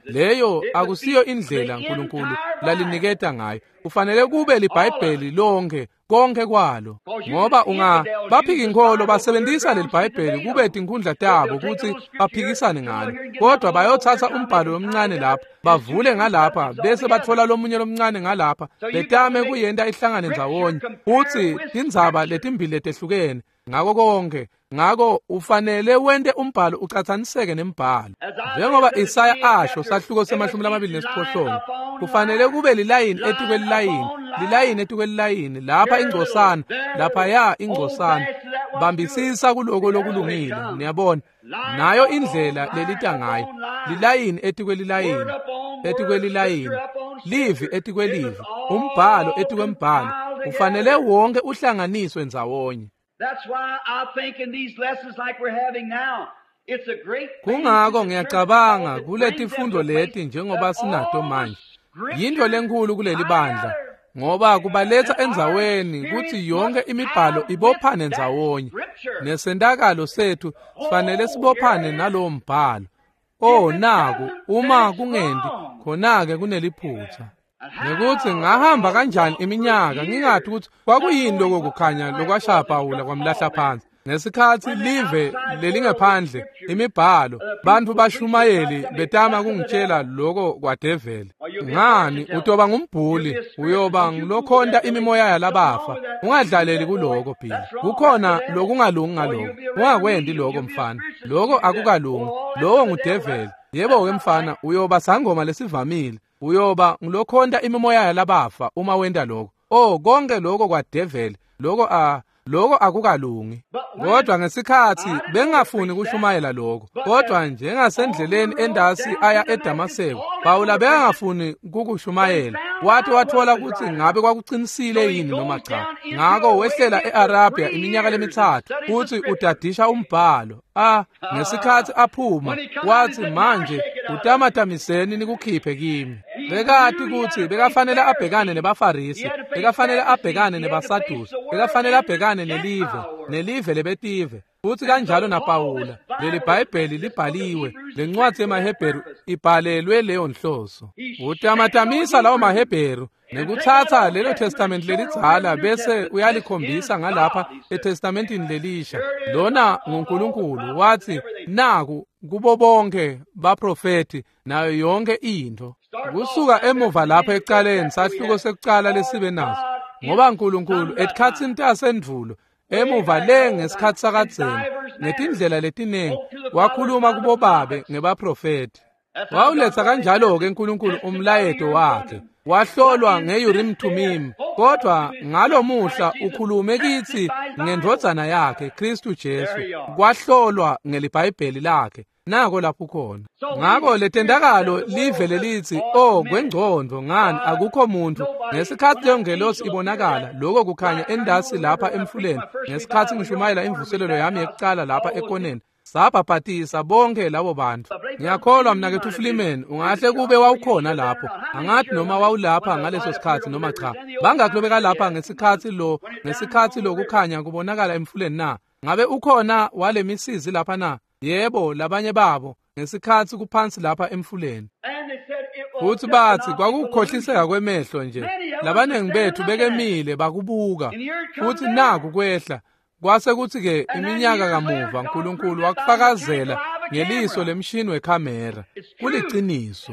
Leyo akusiyo indlela uNkulunkulu laliniketa ngayo. Kufanele kube liBhayibheli lonke, konke kwalo. Ngoba ungabaphika inkholo basebenzisa leliBhayibheli kube tinkhundla tabo ukuthi baphikisane ngalo. Kodwa bayothatha umbhalo lomncane lapha, bavule ngalapha, bese bathola lomunye lomncane ngalapha, betame kuyenta ihlangane ndzawonye. Uthi tindzaba letimbili letehlukene ngako konke. Ngako ufanele wente umbhalo ucatsaniseke nembhalo. Njengoba Isaya asho sahluko se-28, kufanele kube lilayini etikwelilayini, lilayini etikwelilayini, lapha ingcosana, laphaya ingcosana. Bambisisa kuloko lokulungile, niyabona. Nayo indlela lelita ngayo, lilayini etikwelilayini, etikwelilayini, livi etikwelivi, umbhalo etikwembhalo. Ufanele wonke uhlanganiswe ndzawonye. That's why I think in these lessons like we're having now, it's a great Kungako ngiyacabanga kuletifundo leti njengoba sinato manje. Yinto lenkulu kuleli bandla ngoba kubaletha endzaweni kutsi yonke imibhalo ibophane ndzawonye. Nesentakalo sethu sifanele sibophane nalowo mbhalo. Oh naku, uma kungendi khona-ke kuneliphutha. Nekuthi ngahamba kanjani iminyaka ngingathi ukuthi kwakuyini lokho kukhanya lokwashaya Pawula kwamlahla phansi. Ngesikhathi live lelingephandle imibhalo, bantu bashumayeli betama kungitshela lokho kwadeveli. Ngani utoba ngumbhuli, uyoba ngilokhonta imimoya yalabafa. Ungadlaleli kuloko Billy. Kukhona lokungalungi ngaloko. Ungakwendi lokho mfana. Lokho akukalungi. Lowo ngudeveli. Yebo ke mfana, uyoba sangoma lesivamile. Uyoba ngilokhonta imimoya yalabafa uma wenta lokho. Oh, konke lokho kwadeveli. Lokho lokho akukalungi. Kodwa ngesikhathi bengafuni kushumayela lokho. Kodwa njengasendleleni endasi aya eDamaseko, Pawula bengafuni kukushumayela. Wathi wathola ukuthi ngabe kwakuqinisile yini noma cha. Ngako wehlela eArabia iminyaka lemithathu futhi udadisha umbhalo. Ngesikhathi aphuma wathi manje utamatamiseni nikukhiphe kimi. Bekati ukuthi bekafanele abhekane nebaFarisi, bekafanele abhekane nebaSadusi, bekafanele abhekane nelive, nelive lebetive. Futhi kanjalo naPawula, leli Bhayibheli libhaliwe, lencwadi yemaHebheru ibhalelwe leyo nhloso. Utamatamisa lawo maHebheru nekuthatha lelo testament lelidzala bese uyalikhombisa ngalapha eTestamentini lelisha. Lona nguNkulunkulu wathi naku kubo bonke baprofeti nayo yonke into. Kusuka emuva lapha ekucaleni sahluko sekucala lesibe naso. Ngoba uNkulunkulu etikhatsini tasendvulo emuva le ngesikhathi sakadzeni ngetindlela letiningi wakhuluma kubobabe ngebaprofeti. Wawuletha kanjalo-ke uNkulunkulu umlayeto wakhe. Wahlolwa nge-Urim Thummim, kodwa ngalomuhla ukhulume kithi ngendvodzana yakhe Kristu Jesu. Kwahlolwa ngeliBhayibheli lakhe. Nako lapho khona. Ngako letentakalo live lelithi, oh kwengcondo ngani akukho muntu. Ngesikhathi leyo ngelosi ibonakala, lokho kukhanya endasi lapha emfuleni. Ngesikhathi ngishumayela imvuselelo yami yekucala lapha ekoneni, sabhabhatisa bonke labo bantu. Ngiyakholwa mnakethu Freeman, ungahle kube wawukhona lapho. Angathi noma wawulapha ngaleso sikhathi noma cha. Bangakhi lobeka lapha ngesikhathi lokukhanya kubonakala emfuleni na? Ngabe ukhona walemisizi lapha na? Yebo, labanye babo ngesikhathi kuphansi lapha emfuleni. Futhi bathi kwakukhohliseka kwemehlo nje. Labaningi bethu bekemile bakubuka. Futhi naku kwehla. Kwase kuthi-ke iminyaka kamuva uNkulunkulu wakufakazela ngeliso lemshini wekhamera. Kuliciniso.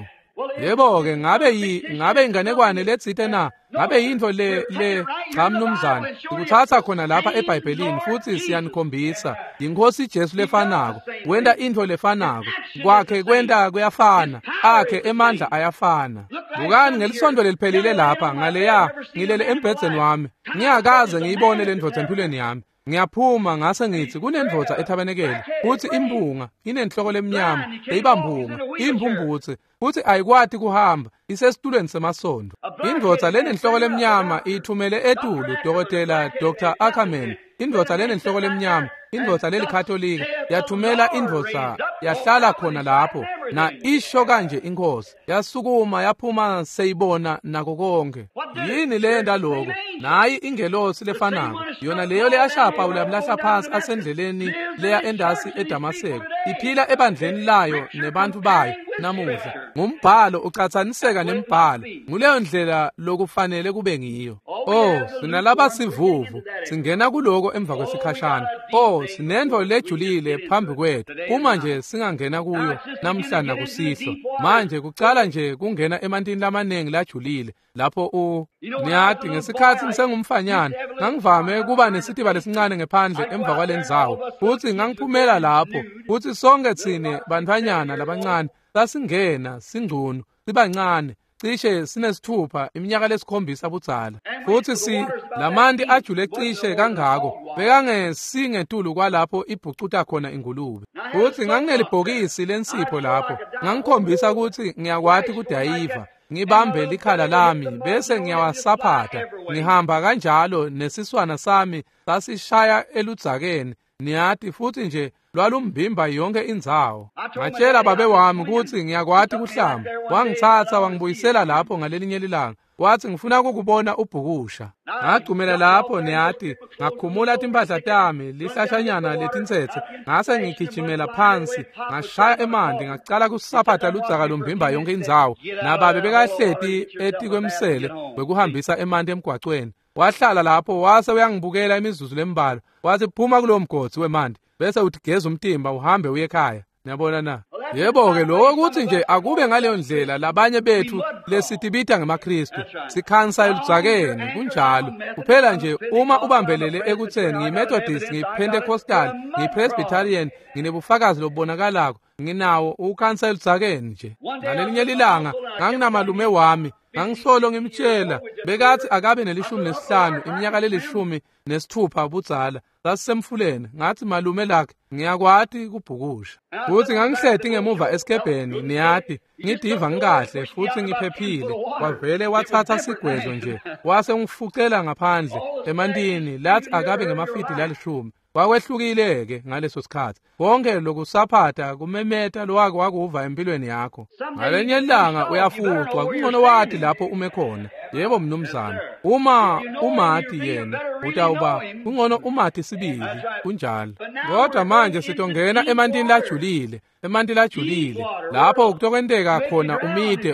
Yebo-ke ngabe inganekwane letsite na? Ngabe yintfo le cha mnumzane. Sikuthatha khona lapha eBhayibhelini futhi siyanikhombisa. Yinkosi Jesu lefanako. Wenta intfo lefanako. Kwakhe kwenta kuyafana. Akhe emandla ayafana. Bukani ngelisonto leliphelile lapha ngaleya ngilele embhedzeni wami. Ngiyakaze ngiyibone le ndvodza empilweni yami. Ngiyaphuma ngase ngithi kunendvodza ethabenekele futhi impunga inenhloko lemnyama beyibampunga impumbutse futhi ayikwati kuhamba isesitulweni semasondo. Indvodza lenenhloko lemnyama ithumele etulu dokotela Dr. Ackerman. Indvodza lenenhloko lemnyama, indvodza lelikatolika yathumela indvodza yahlala khona lapho na isho kanje inkosi yasukuma yaphuma seyibona nako konke. Yini leyenta lokho? Nayi ingelosi lefanako yona leyo leyashaya Pawula yamlahla phansi asendleleni leya endasi eDamaseko, iphila ebandleni layo nebantu bayo namuhla. Ngumbhalo ucatsaniseka nembhalo, nguleyo ndlela lokufanele kube ngiyo. Oh, sinalaba sivuvu singena kuloko emva kwesikhashana. Oh, sinento lejulile phambi kwethu uma nje singangena kuyo namhla nakusihlwa. Manje kucala nje kungena emantini lamaningi lajulile lapho niyati ngesikhathi ngisengumfanyana ngangivame kuba nesitiba lesincane ngephandle emva kwalendzawo, futhi ngangiphumela lapho futhi sonke tsine bantfwanyana labancane sasingena singcunu sibancane cishe sinesithupha iminyaka lesikhombisa budzala, futhi lamanti ajule cishe kangako bekangesingetulu kwalapho ibhucuta khona ingulube. Futhi nganginelibhokisi lensipho lapho, ngangikhombisa ukuthi ngiyakwati kudayiva, ngibambe likhala lami bese ngiyawasaphatha ngihamba kanjalo nesiswana sami sasishaya eludzakeni niyati, futhi nje lwalumbimba yonke indzawo. Ngatshela babe wami ukuthi ngiyakwati kuhlamba, wangithatha wangibuyisela lapho ngalelinye lilanga, wathi ngifuna ukukubona ubhukusha. Ngagcumela lapho niyati, ngakhumula timpahla tami lihlashanyana letintsetse, ngase ngigijimela phansi ngashaya emanti ngacala kusaphatha ludzaka lumbimba yonke indzawo. Nababe bekahleti etikwemsele wekuhambisa emanti emgwacweni, wahlala lapho wase uyangibukela imizuzu lembalwa, wathi phuma kulowo mgodzi wemanti bese utigeza umtimba uhambe uye ekhaya. Niyabona na? Yebo-ke lokho kuthi nje akube ngaleyo ndlela labanye bethu lesitibita ngemaKristu sikhansa eludzakeni kunjalo. Kuphela nje uma ubambelele ekutheni ngiyiMethodist, ngiyiPentecostal, ngiyiPresbyterian, nginebufakazi lobubonakalako, nginawo ukhansa eludzakeni nje. Ngalelinye lilanga nganginamalume wami, ngangisolo ngimtshela bekathi akabe ne-15 iminyaka le-16 budzala, sasisemfuleni. Ngathi malume lakhe ngiyakwati kubhukusha, futhi ngangihleti ngemuva esikebheni niyati, ngidiva ngikahle futhi ngiphephile. Wavele wathatha sigwezo nje wase ungifucela ngaphandle emantini, lathi akabe ngemafidi la-10. Kwakwehlukile-ke ngaleso sikhathi, konke lokusaphatha kumemeta lowake wakuva empilweni yakho. Ngalenye ilanga uyafucwa, kungcono wati lapho ume khona. Yebo mnumzane, uma umati yena utawuba kungcono umati sibili, kunjalo. Kodwa manje sitongena emantini lajulile, emanti lajulile lapho kutokwenteka khona umide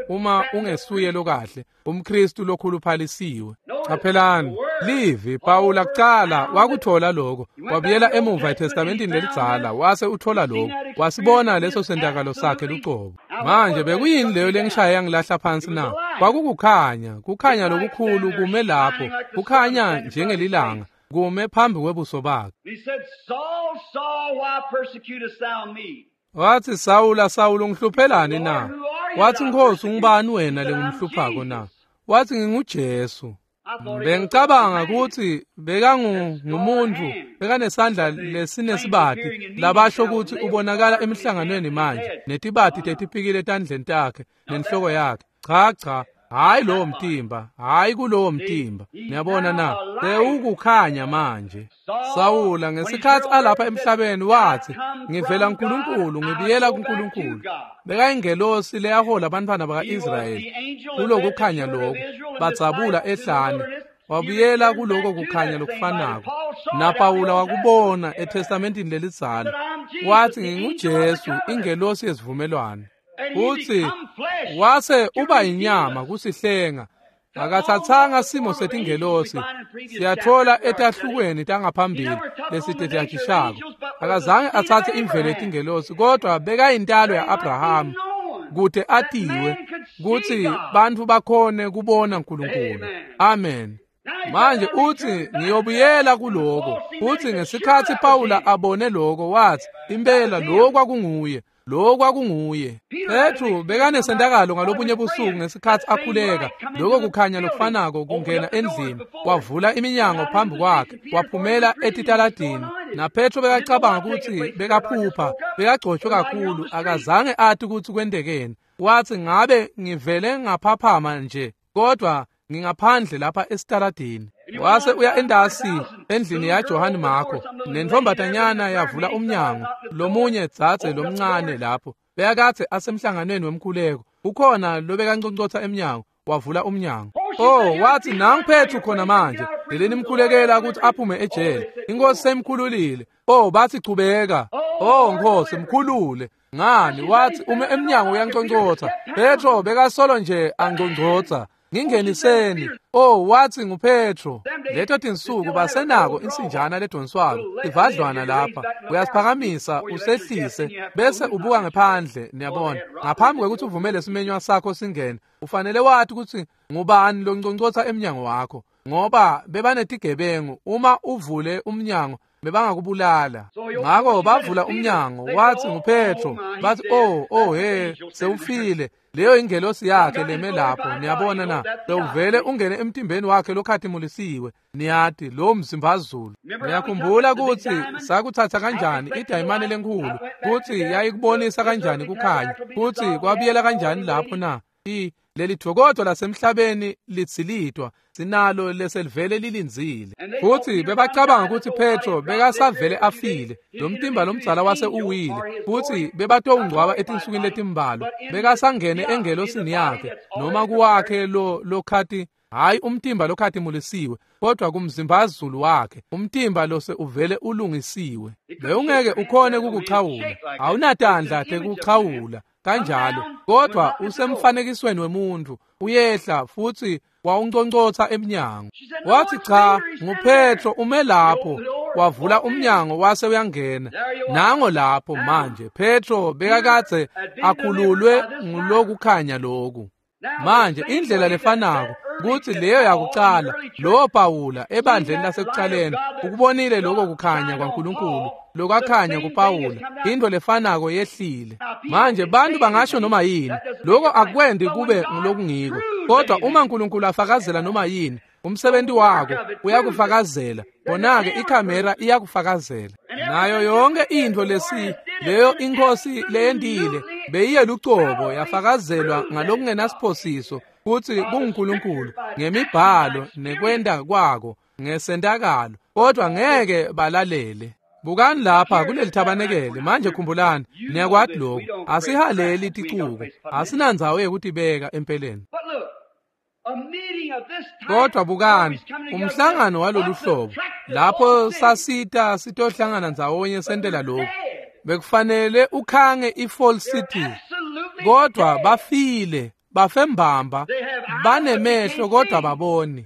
uma ungesuye lokahle umKristu lokhuluphalisiwe. Qaphelani livi Pawula kucala wakuthola lokho, wabuyela emuva eTestamentini lelidzala wase uthola lokho, wasibona leso sentakalo sakhe lucobo. Manje bekuyini leyo lengishaye yangilahla phansi na? Kwakukukhanya, kukhanya lokukhulu kume lapho, kukhanya njengelilanga kume phambi kwebuso bakhe. Wathi Sawula, Sawula ungihluphelani na? Wathi Nkosi ungubani wena lengimhluphako na? Wathi nginguJesu. Bengicabanga ukuthi bekangumuntu bekanesandla lesinesibati labasho ukuthi ubonakala emihlanganweni manje netibati tetipikile etandleni takhe nenhloko yakhe. Cha cha, hayi lowo mtimba, hayi kulowo mtimba. Niyabona na? Sewukukhanya manje. Sawula ngesikhathi alapha emhlabeni wathi ngivela kuNkulunkulu ngibuyela kuNkulunkulu. Bekayingelosi leyahola abantwana baka-Israyeli kulokukhanya lokho, badzabula ehlane, wabuyela kuloko kukhanya lokufanako. NaPawula wakubona eTestamentini lelidzala, wathi nginguJesu ingelosi yesivumelwano. Uthi wase uba inyama kusihlenga, akathathanga simo setingelosi. Siyathola etahlukweni tangaphambili lesitethashishako, akazange athathe imvelo yetingelosi, kodwa bekayintalo ya-Abraham kute atiwe kutsi bantfu bakhone kubona uNkulunkulu. Amen. Manje uthi ngiyobuyela kuloko. Uthi ngesikhathi Pawula abone lokho wathi impela lokho kwakunguye. Lo kwakunguye. Petru bekanesentakalo ngalobunye busuku ngesikhatsi akhuleka. Lokho kukhanya lokufanako kungena endlini, wavula iminyango phambi kwakhe, waphumela etitaladini. Na Petro bekacabanga kutsi bekaphupha, bekagcotshwe kakhulu, akazange ati kutsi kwentekeni. Wathi ngabe ngivele ngaphaphama nje, kodwa ngingaphandle lapha esitaladini. Wase uya endasi endlini yaJohane Marko, nentombatanyana yavula umnyango, lomunye dzadze lomncane lapho bekakadze asemhlanganweni wemkhuleko, ukhona lobekanconcotsa emnyango, wavula umnyango. Oh, wathi nangu Petru khona manje, leleni mkhulekela ukuthi aphume ejele, inkosi semkhululile. Oh, bathi chubeka. Oh Nkosi, mkhulule. Ngani? Wathi ume emnyango uyanconcotsa. Petro bekasolo nje anconcotsa. Ngingeniseni. Oh, wathi nguPetro. Leto tinsuku basenako insinjana ledonswako ivadlwana lapha, uyasiphakamisa usehlise bese ubuka ngephandle. Niyabona, ngaphambi kwekuthi uvumele simenywa sakho singene, ufanele wathi ukuthi ngubani lonconcotsa emnyango wakho, ngoba bebanetigebengu. Uma uvule umnyango bebangakubulala. Ngakho bavula umnyango, wathi nguPetro. Bathi oh he, sewufile. Leyo ingelosi yakhe leme lapho. Niyabona na? Sewuvele ungene emtimbeni wakhe lokhatimulisiwe. Niyati lo mzimbazulu. Niyakhumbula ukuthi sakuthatha kanjani idayimane lenkhulu, kuthi yayikubonisa kanjani kukhanya, kuthi kwabuyela kanjani lapho na? Leli thokoto lasemhlabeni litsilitwa, sinalo leselivele lilindzile. Futhi bebacabanga ukuthi Petro bekasavele afile, lo mtimba lomdzala wase uwile, futhi bebatowungcwaba etinsukwini letimbalwa. Bekasangene engelosini yakhe, noma kuwakhe lo lokhati, hayi umtimba lokhatimulisiwe, kodwa kumzimbazulu wakhe, umtimba lose uvele ulungisiwe. Bewungeke ukhone kukuchawula, awunatandla tekuchawula kanjalo, kodwa usemfanekisweni wemuntu, uyehla futhi wawunconcotsa emnyango. Wathi cha, nguPetro ume lapho. Wavula umnyango wase uyangena. Nango lapho manje Petro bekakadze akhululwe ngulokukhanya loku. Manje indlela lefanako kuthi leyo yakucala, lo Pawula ebandleni lasekucaleni ukubonile lokho kukhanya kwaNkulunkulu lokwakhanya kuPawula, into lefanako yehlile. Manje bantu bangasho noma yini, lokho akwendi kube ngulokungiko, kodwa uma uNkulunkulu afakazela noma yini, umsebenzi wako uyakufakazela. Bona-ke ikhamera iyakufakazela. Nayo yonke into lesi leyo inkosi leyendile beyiye lucobo yafakazelwa ngalokungenasiphosiso kuthi kunguNkulunkulu ngemibhalo nekwenda kwako ngesentakalo, kodwa ngeke balalele. Bukani lapha kuleli thabanekele manje, khumbulani, niyakwati lokhu, asihaleli ticuku, asinandzawo yekutibeka empeleni. Kodwa bukani umhlangano walolu hlobo, lapho sasita sitohlangana ndzawonye sentela lokhu, bekufanele ukhange iFall City, kodwa bafile, bafembamba, banemehlo kodwa baboni.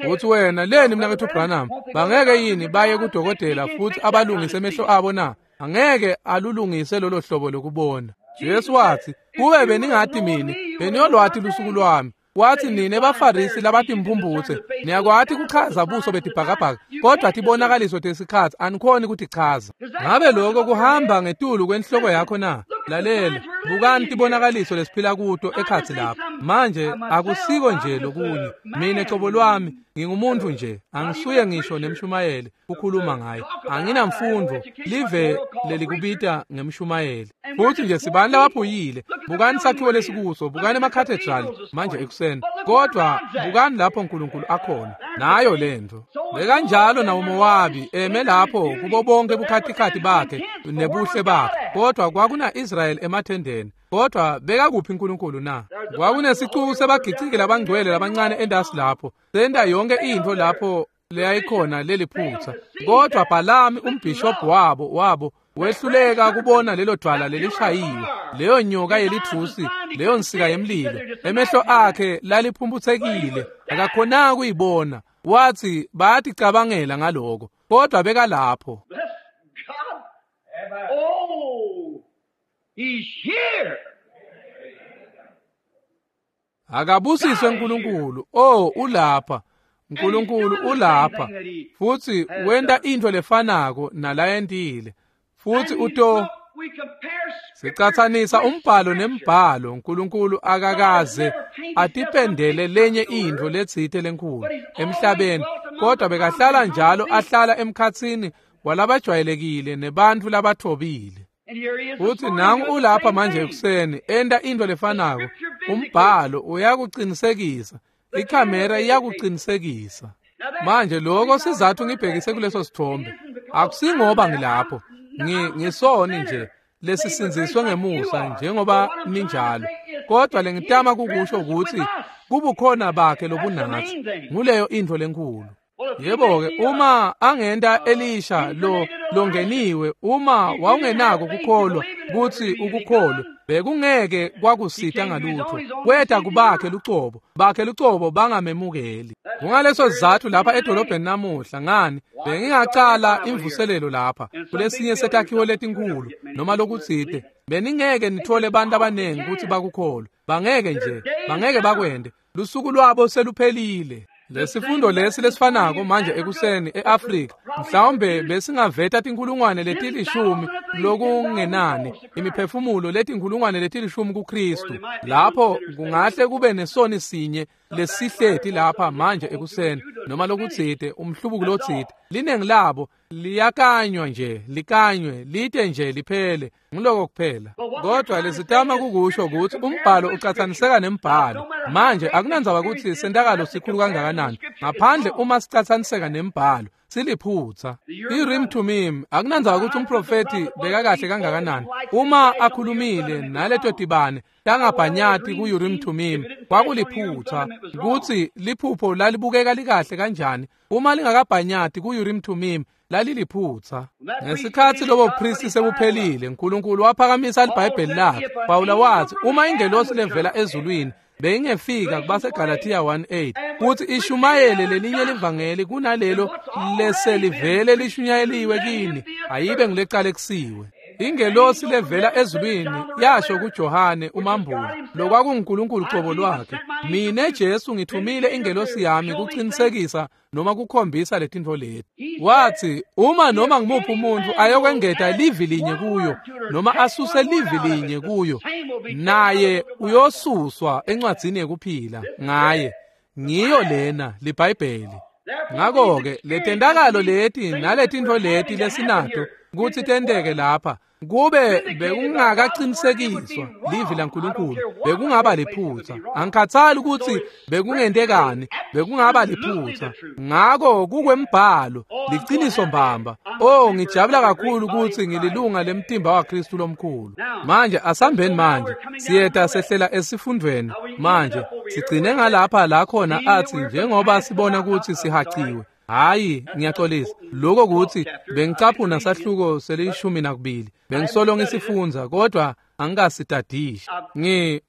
Uthi wena leni mnakethu Branham, bangeke yini baye kudokotela futhi abalungise emehlo abo na? Angeke alulungise lolo hlobo lokubona. Jesu wathi, kube beningathi mina, beniyolwathi lusuku lwami. Wathi nine baFarisi labatimphumphutse, niyakwati kuchaza buso betibhakabhaka, kodwa tibonakaliso tesikhatsi anikhoni kutichaza. Ngabe lokho kuhamba ngetulu kwenhloko yakho na? Lalela, bukani tibonakaliso lesiphila kuto ekhatsi lapha. Manje akusiko nje lokunye. Mina cobo lwami ngingumuntu nje, angisuye ngisho nemshumayeli kukhuluma ngaye. Anginamfundo, live lelikubita ngemshumayeli. Futhi nje sibani labaphuyile. Bukani sakhiwo lesikuso, bukani emacathedral manje ekuseni. Kodwa bukani lapho uNkulunkulu akhona. Nayo lento. Bekanjalo nawoMowabi eme lapho kubo bonke bukhatikhathi bakhe nebuhle bakhe. Kodwa kwakuna Israel emathendeni. Kodwa bekakuphi uNkulunkulu na? Kwakunesicuku sebagiciki labangcwele labancane endasi lapho. Senta yonke into lapho leyayikhona leliphutha. Kodwa Bhalami umbishop wabo wehluleka kubona lelo dwala lelishayiwe, leyo nyoka yelithusi, leyo nsika yemlilo. Emehlo akhe laliphumphutsekile, akakhonanga kuyibona. Wathi bayaticabangela ngaloko, kodwa bekalapho. Oh, he's here. Akabusiswe uNkulunkulu. Oh, ulapha. uNkulunkulu ulapha. Futhi wenta into lefanako nalayentile. Futhi uto Sicatsanisa umbhalo nembhalo. uNkulunkulu akakaze atipendele lenye intfo letsite lenkhulu emhlabeni, kodwa bekahlala njalo ahlala emkhatsini walabajwayelekile nebantfu labathobile. Futhi nangu ulapha manje ekuseni enta intfo lefanako. Umbhalo uyakucinisekisa, ikhamera iyakucinisekisa. Manje lokho sizathu ngibhekise kuleso sithombe. Akusingoba ngilapho, ngisoni nje lesisindziswe ngemusa njengoba ninjalo, kodwa lengitama kukusho ukuthi kubukhona bakhe lobunatsi. Nguleyo intfo lenkhulu. Yebo-ke, uma angenta Elisha lo longeniwe, uma wawungenako kukholwa kutsi ukukholwe, bekungeke kwakusita ngalutho. Kweta kubakhe lucobo, bakhe lucobo bangamemukeli. Kungaleso sizathu lapha edolobheni namuhla, ngani bengingacala imvuselelo lapha kulesinye setakhiwo letinkhulu noma lokutsite, beningeke nithole abantu abaningi kutsi bakukholwe. Bangeke nje, bangeke bakwente. Lusuku lwabo seluphelile. Lesifundo lesi lesifanako manje ekuseni eAfrika, mhlawumbe besingaveta tinkhulungwane letilishumi lokungenani, imiphefumulo letinkhulungwane letilishumi kuKristu. Lapho kungahle kube nesoni sinye lesihleti lapha manje ekuseni noma lokutsite, umhlubuko lotsite. Linengi labo liyakanywa nje, likanywe lite nje liphele, ngiloko kuphela. Kodwa lesitama kukusho ukuthi umbhalo ucatsaniseka nembhalo. Manje akunandzaba ukuthi sentakalo sikhulu kangakanani, ngaphandle uma sicatsaniseka nembhalo siliphutsa. I-Urim Thummim akunandzaba ukuthi umprofethi bekakahle kangakanani, uma akhulumile naleto tibane tangabhanyati ku-Urim Thummim kwakuliphutsa. Kutsi liphupho lalibukeka likahle kanjani, uma lingakabhanyati ku-Urim Thummim laliliphutsa. Ngesikhatsi lobo buphristi sebuphelile, uNkulunkulu waphakamisa liBhayibheli lakhe. Pawula wathi uma ingelosi levela ezulwini beyingefika kubaseGalathiya 1:8 kuthi ishumayele lelinye livangeli kunalelo leselivele lishunyayeliwe kini, ayibe ngilecalekisiwe. Ingelosi levela ezulwini yasho kuJohane umambuli, lokwakunguNkulunkulu cobo lwakhe, mine Jesu ngithumile ingelosi yami kuqinisekisa noma kukhombisa letintfo leti. Wathi uma noma ngimuphi umuntu ayokwengeta livi linye kuyo noma asuse livi linye kuyo, naye uyosuswa encwadzini yekuphila ngaye. Ngiyo lena liBhayibheli. Ngakho-ke letentakalo leti naletintfo leti lesinato kutsi tenteke lapha, kube bekungakaqinisekiswa livi laNkulunkulu, bekungaba liphutsa. Angikhathali ukuthi bekungentekani, bekungaba liphutsa. Ngako kukwembhalo, liciniso mbamba. Oh, ngijabula kakhulu ukuthi ngililunga lemtimba waKristu lomkhulu. Manje asambeni manje, siyeta sehlela esifundweni manje. Sigcine ngalapha la khona athi njengoba sibona ukuthi sihaciwe. Hayi, ngiyaxolisa. Lokho kuthi bengicaphuna sahluko seli-12, bengisolo ngisifundza kodwa angikasitadishi.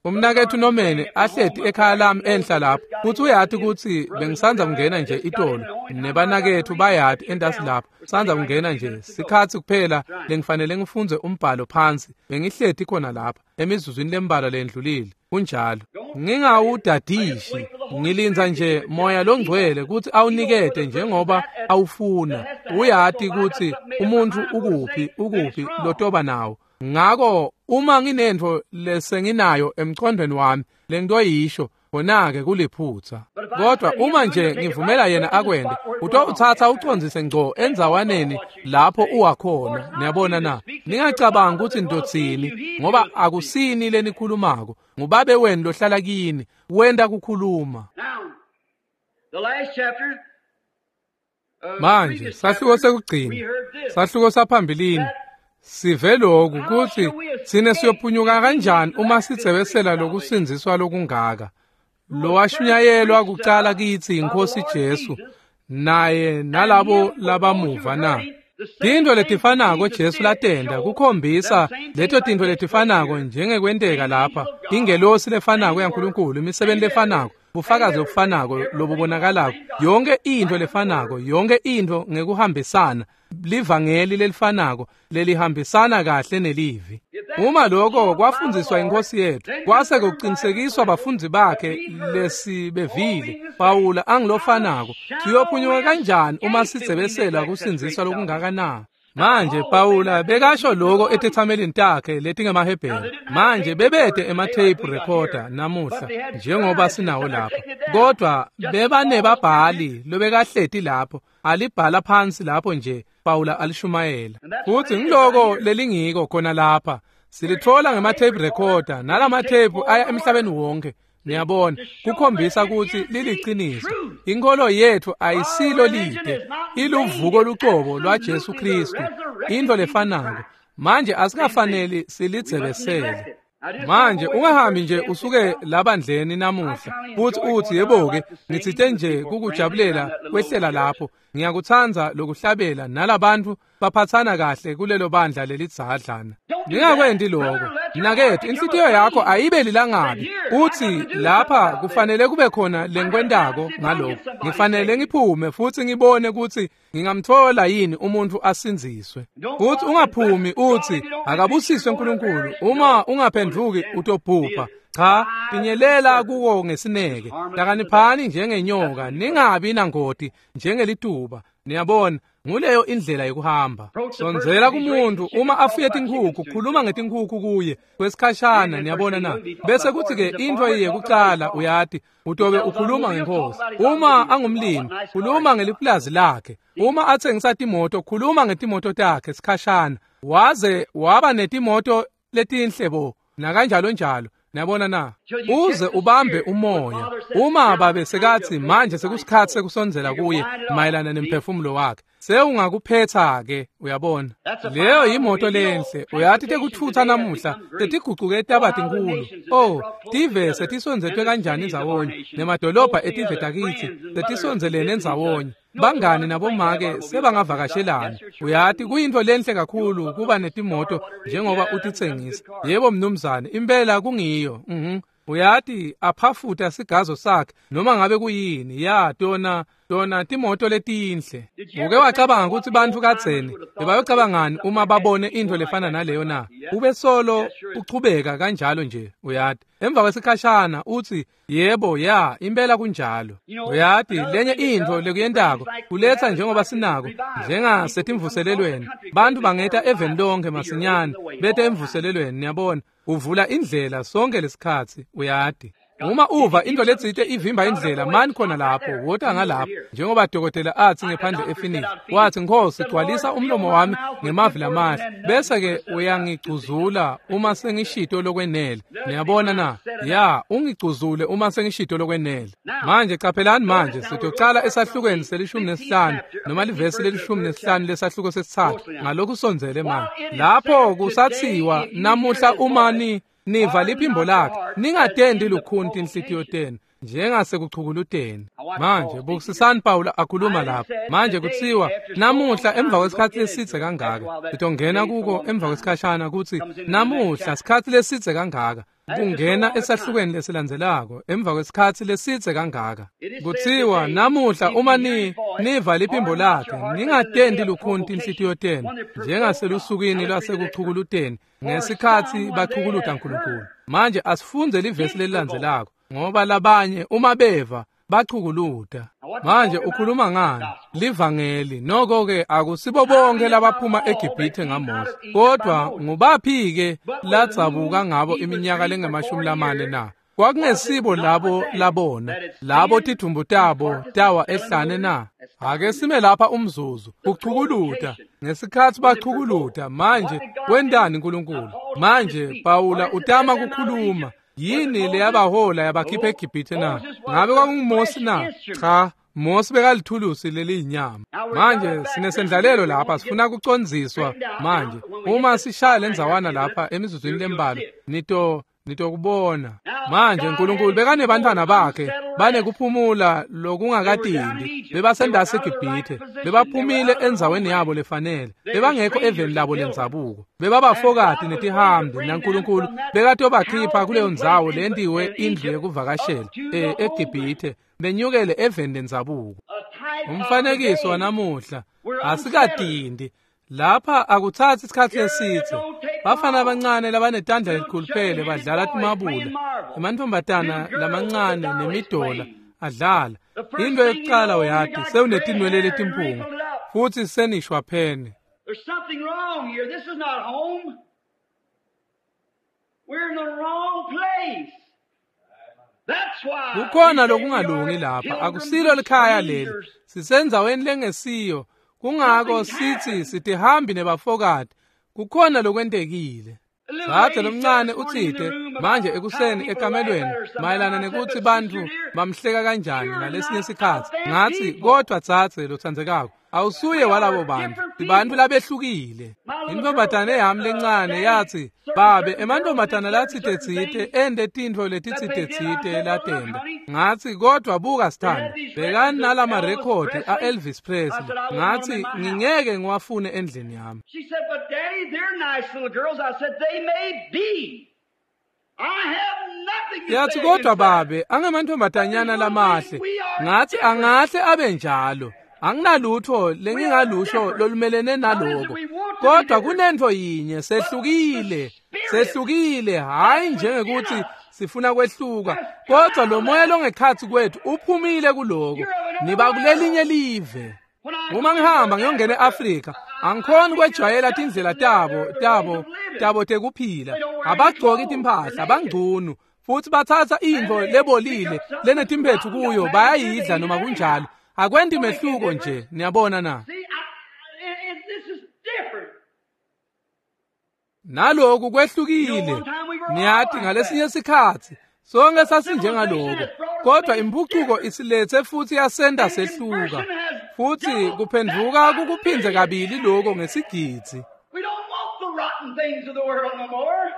Umnakethu Nomene ahleti ekhaya lami enhla lapho, futhi uyati ukuthi bengisandza kungena nje itolo, nebanakethu bayati entasi lapho, sandza kungena nje sikhatsi kuphela lengifanele ngifundze umbhalo phansi. Bengihleti khona lapha emizuzwini lembalwa lendlulile. Kunjalo, ngingawudadishi, ngilindza nje moya longcwele ukuthi awunikete njengoba awufuna. Uyati ukuthi umuntu ukuphi ukuphi lotoba nawo. Ngako uma nginentfo lesenginayo emqondweni wami lengitoyisho, khona-ke kuliphutsa. Kodwa uma nje ngivumela yena akwente, utowutsatsa ucondzise ngco endzawaneni lapho uwakhona. Niyabona na? Ningacabangi ukuthi nitotsini, ngoba akusini lenikhulumako, ngubabe wenu lohlala kini, wenta kukhuluma. Manje sahluko sekugcina, sahluko saphambilini, sive lokhu kutsi sine siyophunyuka kanjani uma sitsebesela lokusindziswa lokungaka, lowashunyayelwa kucala kitsi iNkhosi Jesu naye nalabo labamuva na? Tintfo letifanako Jesu latenta kukhombisa leto tintfo letifanako njengekwenteka lapha, ingelosi lefanako yaNkulunkulu, imisebenti lefanako, bufakazi obufanako lobubonakalako, yonke intfo lefanako, yonke intfo ngekuhambisana, livangeli lelifanako lelihambisana kahle nelivi. Uma lokho kwafundziswa inkosi yethu, kwase kuqinisekiswa bafundzi bakhe lesibevile, Pawula angilofanako, siyophunyuka kanjani uma sidzebesela kusindziswa lokungaka na? Manje Pawula bekasho lokho etethamelini takhe letingemahebheru. Manje bebede ema-tape recorder namuhla njengoba sinawo lapha, kodwa bebanebabhali lobekahleti lapho alibhala phansi lapho nje Pawula alishumayela. Futhi ngiloko lelingiko khona lapha silithola ngema-tape recorder, nalama-tape aya emhlabeni wonke. Niyabona, kukhombisa ukuthi liliqiniso. Inkolo yethu ayisilo lide, iluvuko lucobo lwaJesu Kristu, into lefanako. Manje asikafaneli silidzebesele. Manje ungahambi nje usuke labandleni namuhla futhi uthi yebo-ke ngitsite nje kukujabulela kwehlela lapho, ngiyakutsandza lokuhlabela nalabantu baphathana kahle kulelo bandla lelidzadlana. Ningakwenti lokho mnakethu, inhlitiyo yakho ayibe lilangabi. Uthi lapha kufanele kube khona lengikwentako ngalokho, ngifanele ngiphume futhi ngibone ukuthi ngingamthola yini umuntu asindziswe. Futhi ungaphumi uthi akabusiswe uNkulunkulu, uma ungaphenduki utobhubha. Cha, pinyelela kuwo ngesineke, hlakaniphani njengenyoka, ningabi nangoti njengelituba. Niyabona, nguleyo indlela yokuhamba. Sondzela kumuntu uma afuye tinkhukhu, khuluma ngetinkhukhu kuye kwesikhashana, niyabona na. Bese kuthi-ke into yekucala uyati, utobe ukhuluma ngenkosi. Uma angumlimi, khuluma ngelipulazi lakhe. Uma atsengisa timoto, khuluma ngetimoto takhe sikhashana. Waze waba netimoto letinhle bo, nakanjalo njalo. Niyabona na, uze ubambe umoya. Uma babe sekathi manje sekusikhathi sekusondzela kuye mayelana nemphefumulo wakhe, sewungakuphetha-ke, uyabona. Leyo yimoto lenhle. Uyathi tekuthutha namuhla tetigucuke taba tinkulu. Oh, tive setisondzetwe kanjani ndzawonye, nemadolobha etive takithi setisondzelene ndzawonye. Bangani nabomake sebangavakashelana. Uyati kuyintfo lenhle kakhulu kuba netimoto njengoba utitsengisa. Yebo mnumzane, impela kungiyo. Uyati aphafuta sigazo sakhe noma ngabe kuyini. Ya tona timoto letinhle. Uke wacabanga ukuthi bantfu kadzeni bebayocabangani uma babone intfo lefana naleyo na? Ube solo uchubeka kanjalo nje, uyati. Emva kwesikhashana uthi yebo, ya, impela kunjalo. Uyati lenye intfo lekuyentako kuletsa njengoba sinako njengasetimvuselelweni. Bantu bangeta eveni lonke masinyane bete emvuselelweni, niyabona. Uvula indlela sonke lesikhatsi, uyati. Uma uva into letsite ivimba indlela, mani khona lapho, wota ngalapho. Njengoba dokotela athi ngephandle ePhoenix, wathi Nkosi gcwalisa umlomo wami ngemavi lamahle, bese-ke uyangicuzula uma sengishito lokwenele. Niyabona na? Ya, ungicuzule uma sengishito lokwenele. Manje caphelani manje, sitocala esahlukweni se-15 noma livesi le-15 lesahluko sesithathu ngalokhu sondzele manje. Lapho kusathiwa namuhla uma niva liphimbo lakhe, ningatendi lukhuni tinhlitiyo tenu njengasekuchukuluteni. Manje bukisisani Pawula akhuluma lapha. Manje kutsiwa namuhla emva kwesikhathi lesidze kangaka, sitongena kuko emva kwesikhashana kutsi namuhla sikhathi lesidze kangaka, kungena esahlukweni lesilandzelako emva kwesikhathi lesidze kangaka. Kutsiwa namuhla uma niva liphimbo lakhe, ningatendi lukhuni tinhlitiyo tenu njengaselusukwini lwasekuchukuluteni ngesikhathi bachukuluta uNkulunkulu. Manje asifunze livesi lelilandzelako, ngoba labanye uma beva bachukuluta. Manje ukhuluma ngani? Livangeli. Noko-ke akusibo bonke labaphuma eGibhithe ngaMose, kodwa ngubaphi-ke ladzabuka ngabo iminyaka lengama-40 na? Kwakungesibo labo labona, labo tidumbu tabo tawa ehlane na? Ake sime lapha umzuzu. Kuchukuluta ngesikhathi bachukuluta. Manje wentani uNkulunkulu? Manje Pawula utama kukhuluma. Yini leyabahola yabakhipha eGibhithe na? Ngabe kwakunguMose na? Cha, Mose bekalithulusi leliyinyama. Manje sinesendlalelo lapha, sifuna kucondziswa manje. Uma sishaya lendzawana lapha emizuzwini lembalwa, nitokubona. Manje uNkulunkulu bekanebantfwana bakhe banekuphumula lokungakatindi. Bebasendasi eGibhithe, bebaphumile endzaweni yabo lefanele, bebangekho eveni labo lendzabuko, bebabafokati netihambi, naNkulunkulu bekatobakhipha kuleyo ndzawo lentiwe indlu yekuvakashela eGibhithe, benyukele eveni lendzabuko. Umfanekiso wanamuhla asikatindi. Lapha akuthathi isikhathi lesidze. Bafana abancane labanetandla lelikhuluphele badlala timabula, emantombazana lamancane nemidola adlala. Into yokucala uyati sewunetinwele letimpunga futhi senishwaphene. wrong here. This is not home. We're in the wrong place. That's why Kukhona lokungalungi lapha, akusilo likhaya leli. Sisendzaweni lengesiyo. Kungako sithi sitihambi nebafokati. Kukhona lokwentekile. Dzadze lomncane utsite manje ekuseni ekamelweni mayelana nekutsi bantfu bamhleka kanjani ngalesinye sikhatsi. Ngatsi kodwa dzadze lotsandzekako, awusuye walabo bantfu, sibantfu labehlukile. Intfombatane yami lencane yatsi, babe, emantfombatana latsite-tsite ente tintfo letitsite-tsite latenta. Ngatsi kodwa buka sithando, bhekani nalamarekhodi a-Elvis Presley. Ngatsi ngingeke ngiwafune endlini yami. She said, but Daddy, they're nice little girls. I said, they may be. I have nothing to Yathi say kodwa against that. babe, angemantfombatanyana lamahle. Ngatsi angahle abe njalo. Anginalutho lengingalusho lolumelene naloko. Kodwa kunentfo yinye sehlukile. Sehlukile hayi njengekuthi sifuna kwehluka, kodwa lo moya longekhatsi kwethu uphumile kuloko. Niba kulelinye live. Uma ngihamba ngiyongena eAfrika, angikhoni kwejwayela tindlela tabo tekuphila. Abagcoki timphahla, bangcunu futhi bathatha intfo lebolile lenetimphethu kuyo bayayidla noma kunjalo. Akwenti mehluko nje, niyabona na? See, this is different. Naloku kwehlukile. Niyathi ngalesinye sikhatsi sonke sasinjengaloko, kodwa imphucuko isilethe futhi yasenta sehluka. Futhi kuphendvuka kukuphindze kabili lokho ngesigidzi. We don't want the rotten things of the world no more.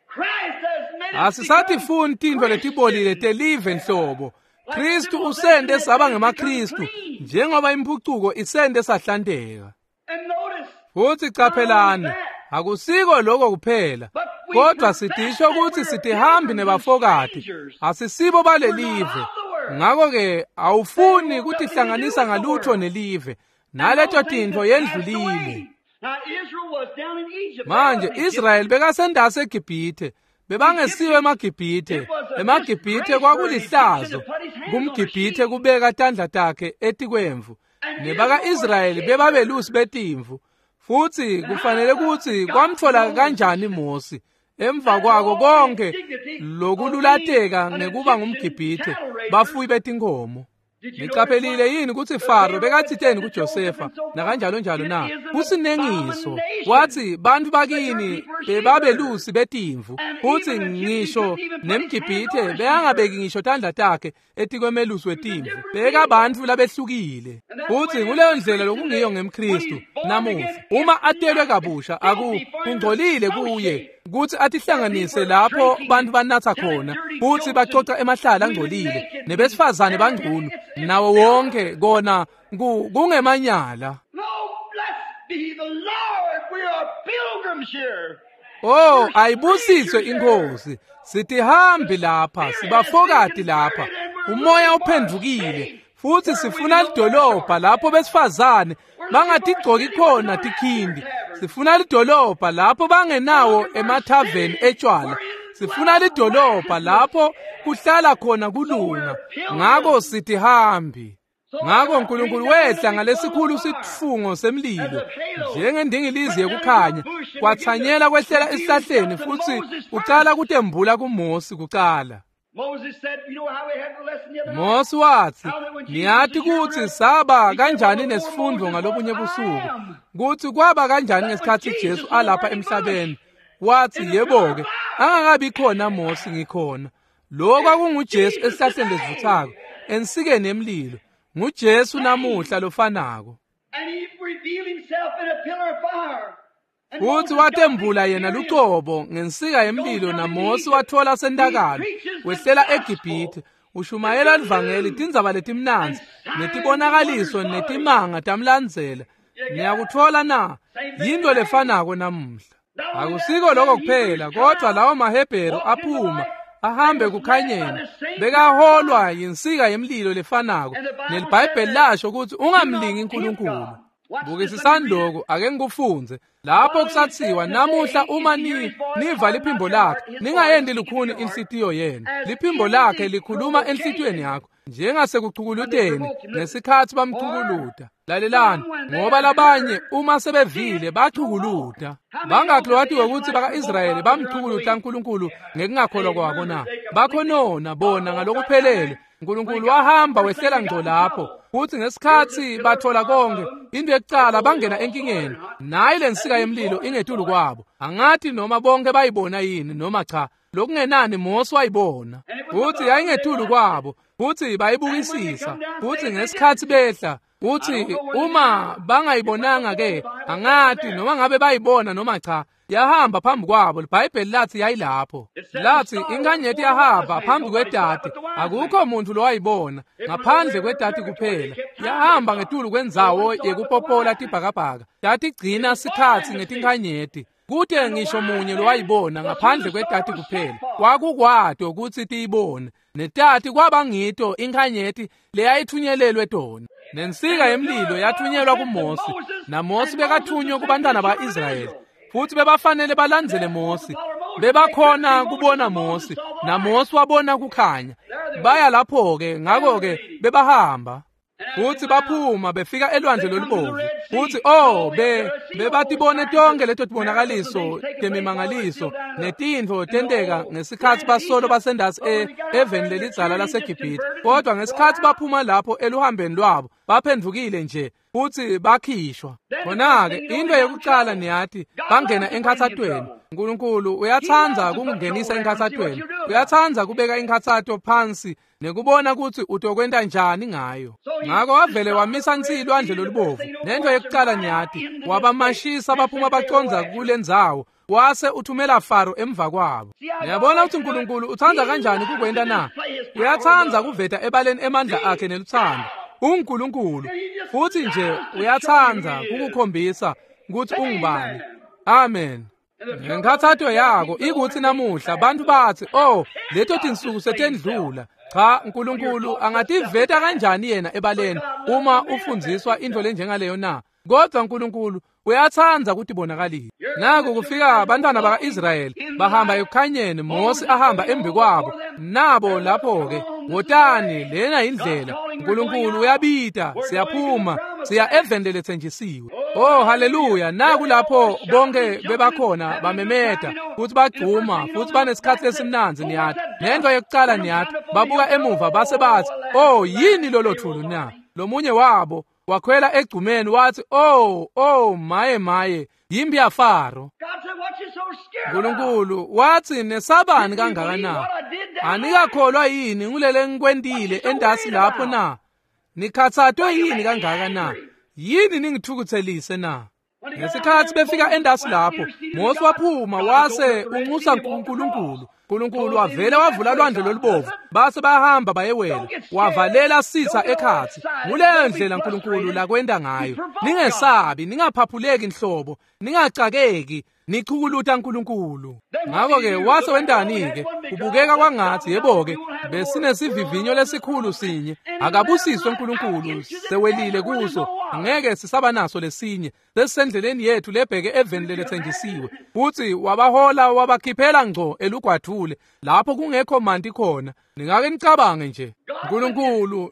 Christ has made us Asisatifuni become tintfo letibolile telive nhlobo. Kristu usente saba ngemaKristu njengoba imphucuko isente sahlanteka. And notice, Futhi qaphelani, akusiko lokho kuphela, kodwa sitisho kutsi sitihambi nebafokati, asisibo balelive. Ngakho-ke awufuni kutihlanganisa ngalutho nelive, naleto tintfo yendlulile. Now Israel was down in Egypt. Manje Israel bekasendase eGibhithe, bebangesiwe emaGibhithe. EmaGibhithe kwakulihlazo kumGibhithe kubeka tandla takhe etikwemvu. Nebaka-Israyeli bebabelusi betimvu. Futhi kufanele kutsi kwamtfola kanjani Mosi emva kwako konke lokululateka ngekuba ngumGibhithe, bafuyi betinkhomo. Niqaphelile yini kutsi Faro bekatsiteni kuJosefa nakanjalo njalo na? Kusinengiso. Wathi bantfu bakini bebabelusi betimvu, futsi ngisho nemGibhithe bekangabeki ngisho tandla takhe etikwemelusi wetimvu. Bekabantfu labehlukile. Futsi nguleyo ndlela lokungiyo ngemKristu namuhla. Uma atelwe kabusha kungcolile kuye kutsi atihlanganise lapho bantfu banatsa khona futsi bacoca emahlala angcolile nebesifazane bangcunu nawo wonke kona kungemanyala. No, blessed be the Lord. We are pilgrims here. Oh, ayibusiswe inkosi. Sitihambi lapha, sibafokati lapha. Umoya uphendvukile futhi sifuna lidolobha lapho besifazane bangatigcoki khona tikhindi. Sifuna lidolobha lapho bangenawo emathaveni etshwala. Sifuna lidolobha lapho kuhlala khona kulunga. Ngako sitihambi. Ngako uNkulunkulu wehla ngalesikhulu sitfungo semlilo njengendingilizi yekukhanya, kwatsanyela kwehlela esihlahleni futhi ucala kutembula kuMosi kucala. Moses said, you know how we had the lesson the other night? Mosi wathi, niyati kutsi saba kanjani nesifundo ngalobunye busuku, kutsi kwaba kanjani ngesikhatsi Jesu alapha emhlabeni. Wathi, yebo-ke, angakabi khona Mosi ngikhona. Lo kwakunguJesu esihlahleni lesivuthako, ensikeni yemlilo. NguJesu namuhla lofanako. And he revealed himself in a pillar of fire. And Futhi Moses got watembula yena experience. lucobo ngensika yemlilo naMosi wathola sentakalo wehlela eGibhithe ushumayela livangeli tindzaba letimnandzi netibonakaliso netimanga tamlandzela. Niyakutfola na? Yinto lefanako namuhla. Akusiko lokho kuphela, kodwa lawo maHebheru aphuma ahambe kukhanyeni bekaholwa yinsika yemlilo lefanako, neliBhayibheli lasho kutsi ungamlingi uNkulunkulu. Bukisisani lokhu, ake ngikufundze. Lapho kusatsiwa namuhla uma niva liphimbo lakhe, ningayendi lukhuni inhlitiyo yenu. Liphimbo lakhe likhuluma enhlitiyweni yakho. Njengasekuchukuluteni ngesikhatsi bamchukuluta. Lalelani, ngoba labanye uma sebevile bachukuluta. Bangakhi lowatiwe kutsi baka-Israyeli bamchukuluta uNkulunkulu ngekungakholwa kwabo na? Bakhonona bona ngalokuphelele. uNkulunkulu wahamba wehlela ngco lapho, futhi ngesikhatsi bathola konke, into yekucala bangena enkingeni. Nayi lensika yemlilo ingetulu kwabo. Angathi noma bonke bayibona yini noma cha. Lokungenani Mose wayibona, futhi yayingetulu kwabo, futhi bayibukisisa. Futhi ngesikhatsi behla, uthi uma bangayibonanga ke, angathi noma ngabe bayibona noma cha, yahamba phambi kwabo. IBhayibheli lathi yayilapho. Lathi inkanyeti yahamba phambi kwedati, akukho muntu lowayibona ngaphandle kwedati kuphela. Yahamba ngetulu kwendzawo yekupopola tibhakabhaka, tatigcina sikhatsi ngetinkanyeti. Kute ngisho munye lowayibona ngaphandle kwedati kuphela. Kwakukwato kutsi tiyibone, netati kwaba ngito inkanyeti leyayithunyelelwe tona. Nensika yemlilo yathunyelwa kuMose, naMose bekathunywe kubantwana ba-Israyeli, futhi bebafanele balandzele Mose. Bebakhona kubona Mose, naMose wabona kukhanya. Baya lapho-ke, ngakho-ke bebahamba. Futhi baphuma befika elwandle lolubovu. Futhi oh bebatibone tonke leto tibonakaliso temimangaliso netintfo tenteka ngesikhatsi basolo basendasi eveni lelidzala laseGibhithe. Kodwa ngesikhatsi baphuma lapho eluhambeni lwabo, baphendvukile nje futhi bakhishwa. Khona-ke into yekucala niyati, bangena enkhatsatweni. uNkulunkulu uyatsandza kungenisa enkhatsatweni. Uyatsandza kubeka inkhatsato phansi nekubona kutsi utokwenta njani ngayo. Ngako wavele wamisa nsi lwandle lolubovu. Nento yekucala niyati, wabamashisa baphuma bacondza kulendzawo, wase uthumela Faro emva kwabo. Niyabona ukuthi uNkulunkulu utsandza kanjani kukwenta na? Uyatsandza kuveta ebaleni emandla akhe nelutsandvo. UNkulunkulu futhi nje uyatsandza kukukhombisa kutsi ungubani. Amen. Ngenkhatsato yako ikutsi namuhla bantu batsi, oh, leto tinsuku setendlula. Cha, uNkulunkulu angativeta kanjani yena ebaleni uma ufundziswa into lenjengaleyo na? Kodwa uNkulunkulu uyatsandza kutibonakalisa. Naku kufika abantwana baka-Israyeli bahamba ekukhanyeni, Mose ahamba embi kwabo. Nabo lapho-ke, wotani, lena indlela. uNkulunkulu uyabita, siyaphuma, siya eveni leletsenjisiwe. Oh, haleluya! Naku lapho bonke bebakhona bamemeta, futhi bagcuma, futhi banesikhatsi lesimnandzi niyati. Nento yekucala niyati, babuka emuva base bathi, oh, yini lolo thulu na? Lomunye wabo wakhwela egcumeni wathi, oh, oh, maye maye, yimbi yaFaro. uNkulunkulu wathi, nesabani kangaka na? Anikakholwa yini ngulele ngikwentile endasi lapho na? Nikhatsatwe yini kangaka na? Yini ningithukuthelise na? Ngesikhatsi befika endasi lapho, Mose waphuma wase unxusa uNkulunkulu. uNkulunkulu wavele wavula lwandle lolubovu, base bahamba bayewela, wavalela sitsa ekhatsi. Nguleyo ndlela uNkulunkulu lakwenta ngayo. Ningesabi, ningaphaphuleki nhlobo, ningacakeki, nichukuluta uNkulunkulu. Ngakho-ke wase wentani-ke? Kubukeka kwangathi yebo-ke besinesivivinyo lesikhulu sinye. Akabusiswe uNkulunkulu, sewelile kuso, angeke sisaba naso lesinye. Sesisendleleni yethu lebheke eveni leletsenjisiwe. Futhi wabahola wabakhiphela ngco elugwadvule lapho kungekho manti khona. Ningake nicabange nje, uNkulunkulu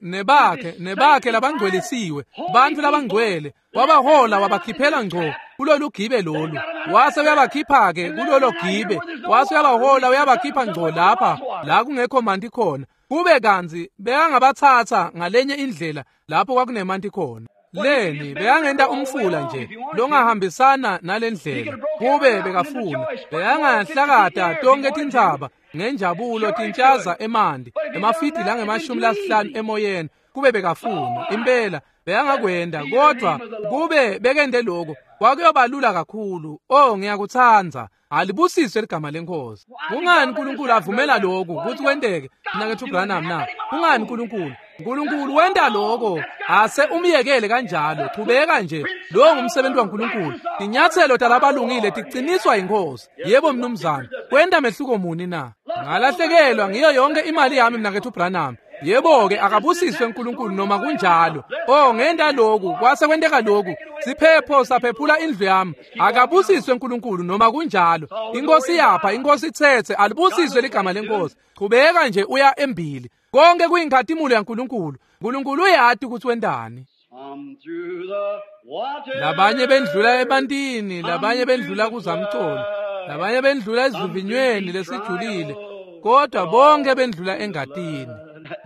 nebakhe labangcwelisiwe, bantu labangcwele, wabahola wabakhiphela ngco kulolu gibe lolu. Wase uyabakhipha-ke kulolo gibe, wase uyabahola uyabakhipha ngco lapha la kungekho manti khona. Kube kantsi bekangabatsatsa ngalenye indlela lapho kwakunemanti khona. Leni bekangenta umfula nje longahambisana nalendlela. Kube bekafuna bekangahlakata tonke tintsaba ngenjabulo tintshaza emanti emafidi langama-50 emoyeni. Kube bekafuna impela bekangakwenda, kodwa kube bekende lokho kwakuyobalula kakhulu. Oh, ngiyakutsandza. Alibusiswe ligama lenkosi. Kungani uNkulunkulu avumela lokhu kutsi kwenteke, mnaketfu Branham na? Kungani uNkulunkulu? uNkulunkulu wenta lokho, ase umyekele kanjalo. Chubeka nje, lowo ngumsebenzi waNkulunkulu. Tinyatselo talabalungile tiqiniswa yinkosi. Yebo mnumzane, kwenta mehluko muni na? Ngalahlekelwa ngiyo yonke imali yami mnaketfu Branham. Yebo-ke, akabusiswe uNkulunkulu noma kunjalo. Oh, ngenta lokhu, kwase kwenteka lokhu. Siphepho saphephula indlu yami. Akabusiswe uNkulunkulu noma kunjalo. Inkosi yapha, inkosi itsetse, alibusiswe ligama lenkosi. Qhubeka nje uya embili. Konke kuyinkhatimulo yaNkulunkulu. uNkulunkulu uyati ukuthi wentani. Labanye bendlula ebantini, labanye bendlula kuzamcolo, labanye bendlula esivivinyweni lesijulile, kodwa bonke bendlula engatini.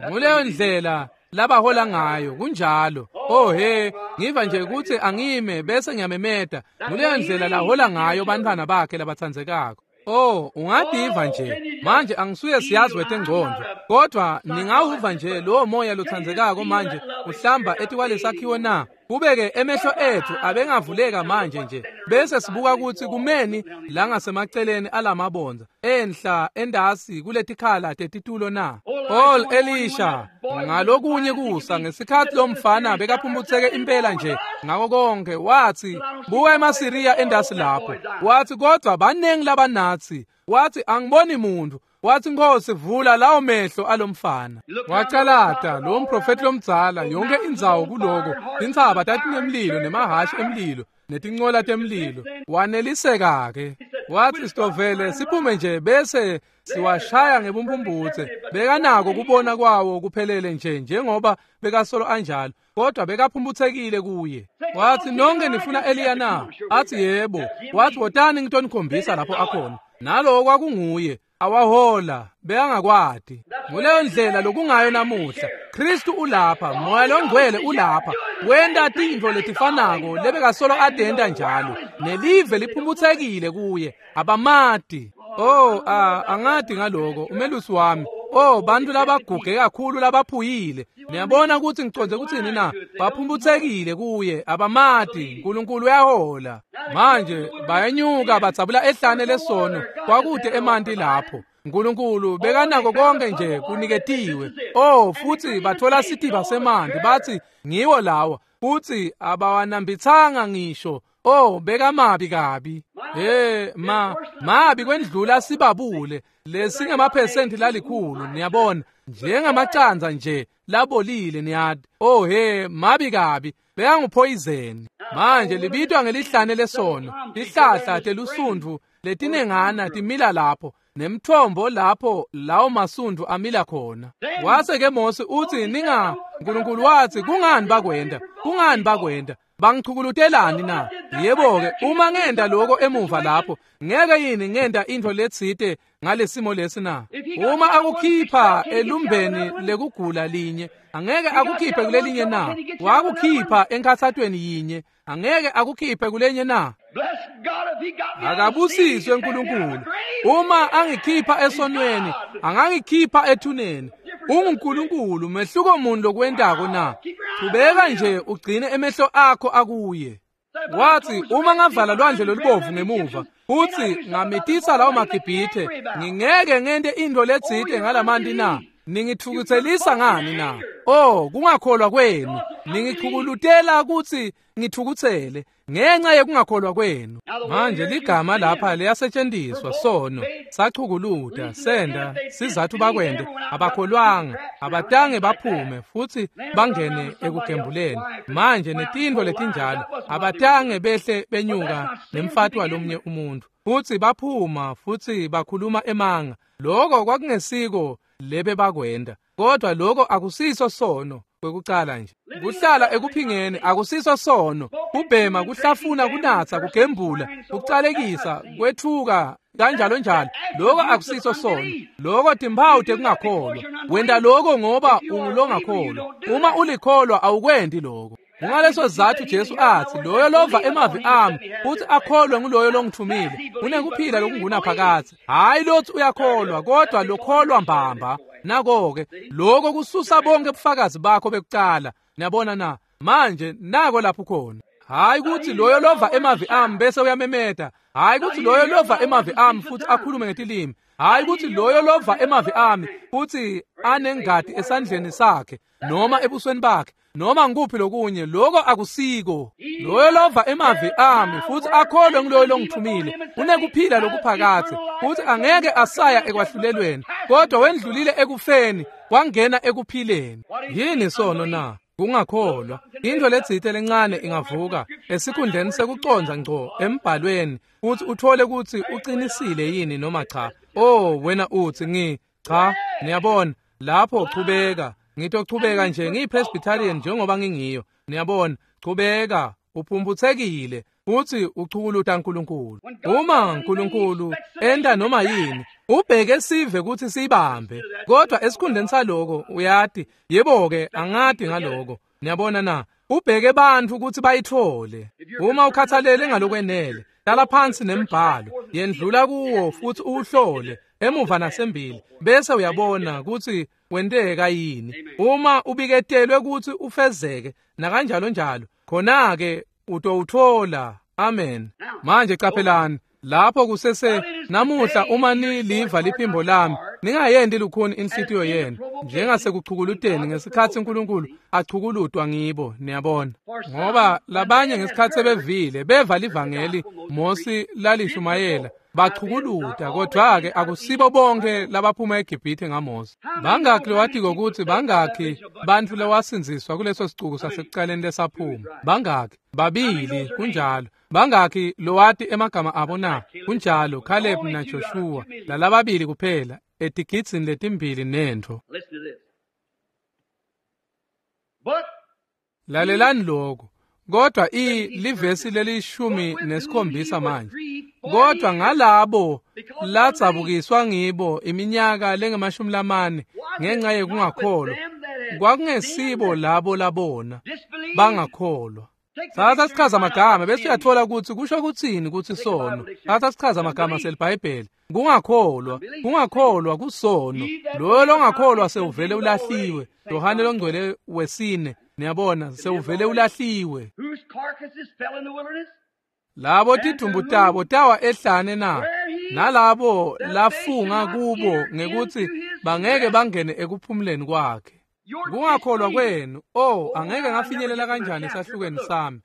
Nguleyo ndlela labahola ngayo, kunjalo. Oh he, ngiva nje ukuthi angime bese ngiyamemeta. Nguleyo ndlela lahola ngayo bantwana bakhe labatsandzekako. Oh, ungadiva nje. Manje angisuye siyazi wetengcondo, kodwa ningawuva nje lowo moya lotsandzekako manje uhlamba etikwalesakhiwo na? Kube-ke emehlo ethu abengavuleka manje nje bese sibuka ukuthi kumeni la ngasemaceleni alamabonza enhla endasi kuletikhala tetitulo na. All Elisha ngalokunye kusa ngesikhathi lo mfana bekaphumputseke impela nje ngako konke, wathi buka emaSiriya endasi lapho, wathi kodwa baningi labanathi, wathi angiboni muntu. Wathi Nkosi vula lawo mehlo alomfana. Wacalata lo mprofeti lomdzala yonke indzawo kuloko, tintsaba tatinemlilo nemahashi emlilo netincola temlilo. Waneliseka ke. Wathi sitovele siphume nje bese siwashaya ngebumpumputse. Bekanako kubona kwawo kuphelele nje njengoba bekasolo anjalo, kodwa bekaphumputhekile kuye. Wathi nonke nifuna Eliya na? Athi yebo. Wathi wotani ngitonikhombisa lapho akhona. Nalowo kwakunguye. Awahola beyangakwati. Nguleyo ndlela lokungayo namuhla. Kristu ulapha, Moya loNgcwele ulapha, wenta tintfo letifanako lebekasolo adenta njalo. Nelive liphumputhekile kuye, abamati. Oh, angati ngaloko, umelusi wami. Oh, bantu labaguge kakhulu labaphuyile. Niyabona ukuthi ngicondze kuthini na? Baphumputhekile kuye, abamati. uNkulunkulu uyahola. Manje bayenyuka batsabula ehlane lesono, kwakude emanti lapho. uNkulunkulu bekanako konke nje kuniketiwe. Oh, futhi bathola sitiba semanti bathi ngiwo lawa, futhi abawanambithanga ngisho. Oh, bekamabi kabi. Hey, mabi kwendlula sibabule. Lesingemaphesenti lalikhulu, niyabona, njengamacandza nje labolile niyati. Oh he, mabi kabi, bekanguphoyizeni. Manje libitwa ngelihlane lesono, tihlahla telusundvu letinengana timila lapho, nemthombo lapho lawo masundvu amila khona. Wase ke Mose uthi ninga, uNkulunkulu wathi kungani bakwenda? Kungani bakwenda? Bangichukulutelani na? Yebo-ke, uma ngenda lokho emuva lapho, ngeke yini ngenda into letsite ngalesimo lesi na? Uma akukhipha elumbeni lekugula linye, angeke akukhiphe kulelinye na? Wakukhipha enkhathatweni yinye, angeke akukhiphe kulenye na? Akabusiswe uNkulunkulu. Uma angikhipha esonweni, angangikhipha ethuneni. UnguNkulunkulu, mehluko muni lokwentako na? Qhubeka nje ugcine emehlo akho akuye. Wathi uma ngavala lwandle lolubovu ngemuva, uthi ngamitisa lawo maGibhithe, ngingeke ngente into letsite ngalamanti na? Ningithukuthelisa ngani na? Oh, kungakholwa kwenu. Ningichukulutela ukuthi ngithukuthele ngenxa yekungakholwa kwenu. Manje ligama lapha liyasetshenziswa sono, sachukuluta, senda, sizathu bakwende, abakholwanga, abatange baphume futhi bangene ekugembuleni. Manje netintfo letinjalo, abatange behle benyuka nemfati walomnye umuntu. Futhi baphuma futhi bakhuluma emanga. Lokho kwakungesiko lebe bakwenda, kodwa lokho akusiso sono. Kwekucala nje kuhlala ekuphingeni akusiso sono. Kubhema, kuhlafuna, kunatsa, kugembula, kucalekisa, kwethuka kanjalo njalo, lokho akusiso sono. Lokho timphawu tekungakholwa. Wenta lokho ngoba ungulongakholwa. Uma ulikholwa awukwendi lokho. Kungaleso sizathu Jesu athi loyo lova emavi ami futhi akholwe nguloyo longithumile unekuphila lokungunaphakadze. Hayi lothi uyakholwa, kodwa lokholwa mbamba. Nako-ke lokho kususa bonke ubufakazi bakho bekucala. Niyabona na? Manje nako lapho khona. Hayi ukuthi loyo lova emavi ami bese uyamemeta. Hayi ukuthi loyo lova emavi ami futhi akhulume ngetilimi. Hayi ukuthi loyo lova emavi ami futhi anengadi esandleni sakhe noma ebusweni bakhe noma ngikuphi lokunye, lokho akusiko. Loyo lova emavi ami futhi akholwe nguloyo longithumile unekuphila lokuphakadze, futhi angeke asaya ekwahlulelweni, kodwa wendlulile ekufeni Wangena ekuphileni. Yini sono na? Kungakholwa. Into letsite lencane ingavuka esikhundleni sekucondza ngco embhalweni futhi uthole ukuthi uqinisile yini noma cha. Oh, wena uthi cha, niyabona, lapho chubeka. Ngitochubeka nje ngiyiPresbyterian njengoba ngingiyo. Niyabona, chubeka, uphumputhekile futhi uchukuluta uNkulunkulu. Uma uNkulunkulu enda noma yini, ubheke sive ukuthi sibambe. Kodwa esikhundleni saloko uyati, yebo-ke angadi ngaloko. Niyabona na? Ubheke bantu ukuthi bayithole. Uma ukhathalele ngalokwenele, hlala phansi nembhalo, yendlula kuwo futhi uhlole emuva nasembili, bese uyabona ukuthi wenteka yini. Uma ubiketelwe ukuthi ufezeke nakanjalo njalo, khona-ke utowuthola. Amen. Manje qaphelani lapho kusese namuhla, uma niliva liphimbo lami, ningayendi lukhuni inhlitiyo yenu njengasekuchukuluteni ngesikhathi uNkulunkulu achukulutwa ngibo. Niyabona, ngoba labanye ngesikhathi sebevile beva livangeli Mosi lalishumayela bachukuluta, kodwa-ke akusibo bonke labaphuma eGibhithe ngaMose. Bangakhi lowatiko ukuthi bangakhi bantfu lawasindziswa kuleso sicuku sasekucaleni lesaphuma? Bangakhi? Babili, kunjalo. Bangakhi lowati emagama abo na? Kunjalo, Caleb na Joshua, lalababili kuphela etigidzini letimbili nentfo. Lalelani lokho. Kodwa livesi leli-17 manje. Kodwa ngalabo ladzabukiswa ngibo iminyaka lengama-40 ngenxa yekungakholwa, kwakungesibo labo labona bangakholwa. Thatha sichaza amagama bese uyathola ukuthi kusho kuthini ukuthi sono. Thatha sichaza amagama seliBhayibheli. Kungakholwa, kungakholwa kusono. Loyo longakholwa sewuvele ulahliwe. Yohane longcwele wesine, niyabona, sewuvele ulahliwe. Labo tidumbu tabo tawa ehlane na, nalabo lafunga kubo ngekuthi bangeke bangene ekuphumuleni kwakhe. Kungakholwa kwenu, oh, angeke ngafinyelela kanjani esahlukweni sami.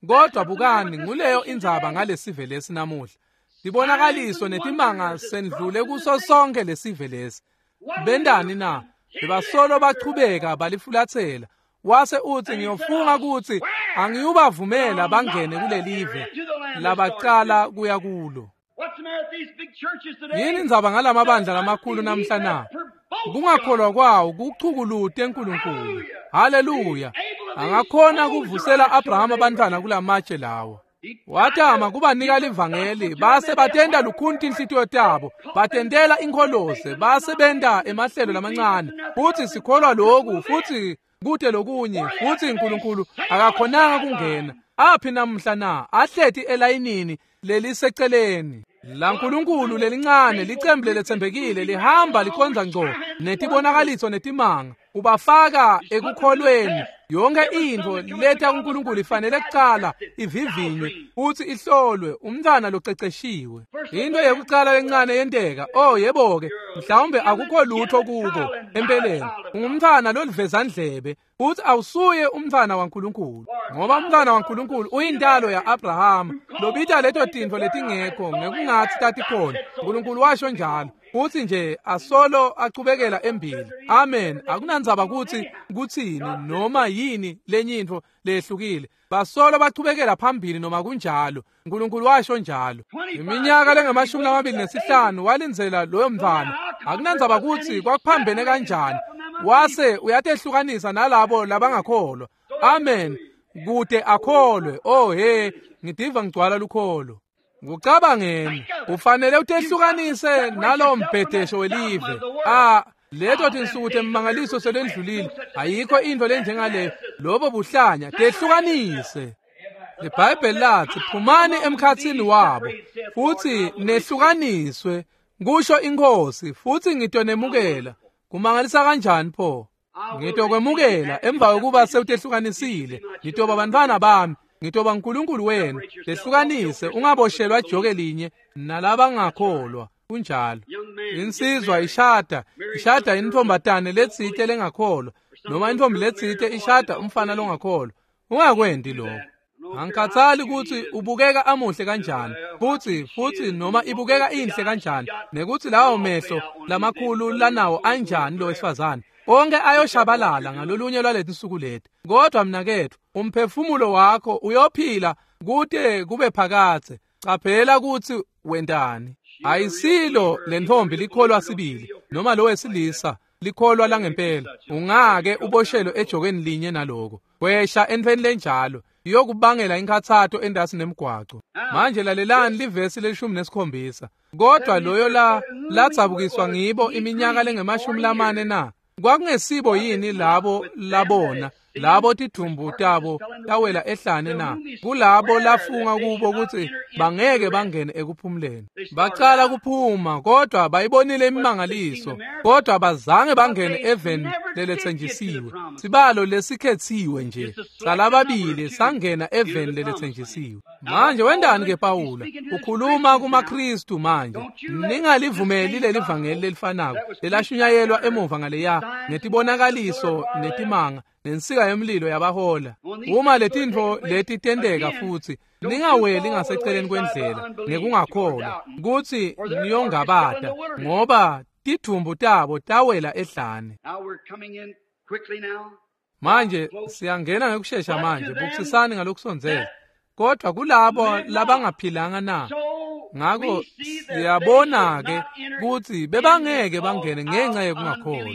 Kodwa bukani, nguleyo indzaba ngalesive lesi namuhla. Tibonakaliso netimanga sendlule kuso sonke lesive lesi. Bendani na? Bebasolo bachubeka balifulathela. Wase uthi ngiyofunga ukuthi angiyubavumela bangene kulelive labacala kuya kulo. Yini indzaba ngalamabandla lamakhulu namhla na? Kungakholwa kwawo kuchukulute uNkulunkulu. Haleluya. Angakhona kuvusela Abraham abantwana kulamatshe lawo. Watama kubanika livangeli, base batenda lukhuni tinhlitiyo tabo, batendela inkholoze, base benta emahlelo lamancane. Futhi sikholwa lokhu, futhi kude lokunye, futhi uNkulunkulu akakhonanga kungena. Aphi namhla na? Ahleti elayinini leliseceleni. La nkulunkulu lelincane licembu leletsembekile lihamba likhonza ngco netibonakaliso netimanga, ubafaka ekukholweni. Yonke intfo leta kuNkulunkulu ifanele kucala ivivinywe futhi ihlolwe umntwana loceceshiwe. Into yekucala lencane yenteka, oh yebo-ke, mhlawumbe akukho lutho kuko empeleni. Ungumntwana lolivezandlebe futhi awusuye umntwana waNkulunkulu, ngoba umntwana waNkulunkulu uyintalo ya-Abrahama lobita leto tintfo letingekho ngekungathi tatikhona. uNkulunkulu washo njalo, futhi nje asolo achubekela embili. Amen. Akunandzaba ukuthi kuthini noma yini lenye intfo lehlukile, basolo bachubekela phambili noma kunjalo. uNkulunkulu washo njalo. Iminyaka lengama-25 walindzela loyo mntwana. Akunandzaba ukuthi kwakuphambene kanjani, wase uyatehlukanisa nalabo labangakholwa. Amen. Kude akholwe. Oh he, ngidiva ngigcwala lukholo. Kucabangeni, ufanele utehlukanise nalowo mbhedesho welive. Leto tinsuku temmangaliso selendlulile, ayikho into lenjengaleyo. Lobo buhlanya, tehlukanise. LiBhayibheli lathi phumani emkhathini wabo futhi nehlukaniswe, kusho iNkosi, futhi ngitonemukela. Kumangalisa kanjani pho? Ngitokwemukela emva kokuba sewutehlukanisile. Ngitoba bantwana bami, ngitoba uNkulunkulu wenu. Tehlukanise, ungaboshelwa joke linye nalabangakholwa. Kunjalo. Insizwa ishada intombatane letsite lengakholwa, noma intombi letsite ishada umfana longakholwa. Ungakwendi lokho. Angikhathali ukuthi ubukeka amuhle kanjani, futhi noma ibukeka inhle kanjani, nekuthi lawo mehlo lamakhulu lanawo anjani lo wesifazane. Onke ayoshabalala ngalolunye lwaletinsuku leti. Kodwa mnaketfu, umphefumulo wakho uyophila kute kube phakadze. Caphela kutsi wentani. Ayisilo lentfombi likholwa sibili noma lo wesilisa likholwa langempela. Ungake uboshelwe ejokeni linye naloko. Kwesha entfweni lenjalo iyokubangela inkhatsato endasi nemgwaco. Manje lalelani livesi le-17. Kodwa loyo la ladzabukiswa ngibo iminyaka lengama-40 na? Kwakungesibo yini labo labona labo tidumbu tabo tawela ehlane na? Kulabo lafunga kubo kutsi bangeke bangene ekuphumuleni. Bacala kuphuma kodwa bayibonile imimangaliso, kodwa bazange bangene eveni leletsenjisiwe. Sibalo lesikhetsiwe nje salababili sangena eveni leletsenjisiwe. Manje wendani ke Pawula? Ukhuluma kumaKristu manje. Ningalivumeli leli vangeli lelifanako lelashunyayelwa emuva ngaleya ngetibonakaliso netimanga nensika yemlilo yabahola. Uma letintfo leti tenteka futsi, ningaweli ngaseceleni kwendlela ngekungakholwa kutsi niyongabata, ngoba tidumbu tabo tawela ehlane. Manje siyangena ngekushesha manje, bukisisani ngalokusondzela. Kodwa kulabo labangaphilanga na? Ngako siyabona ke kutsi bebangeke bangene ngenxa yekungakholwa.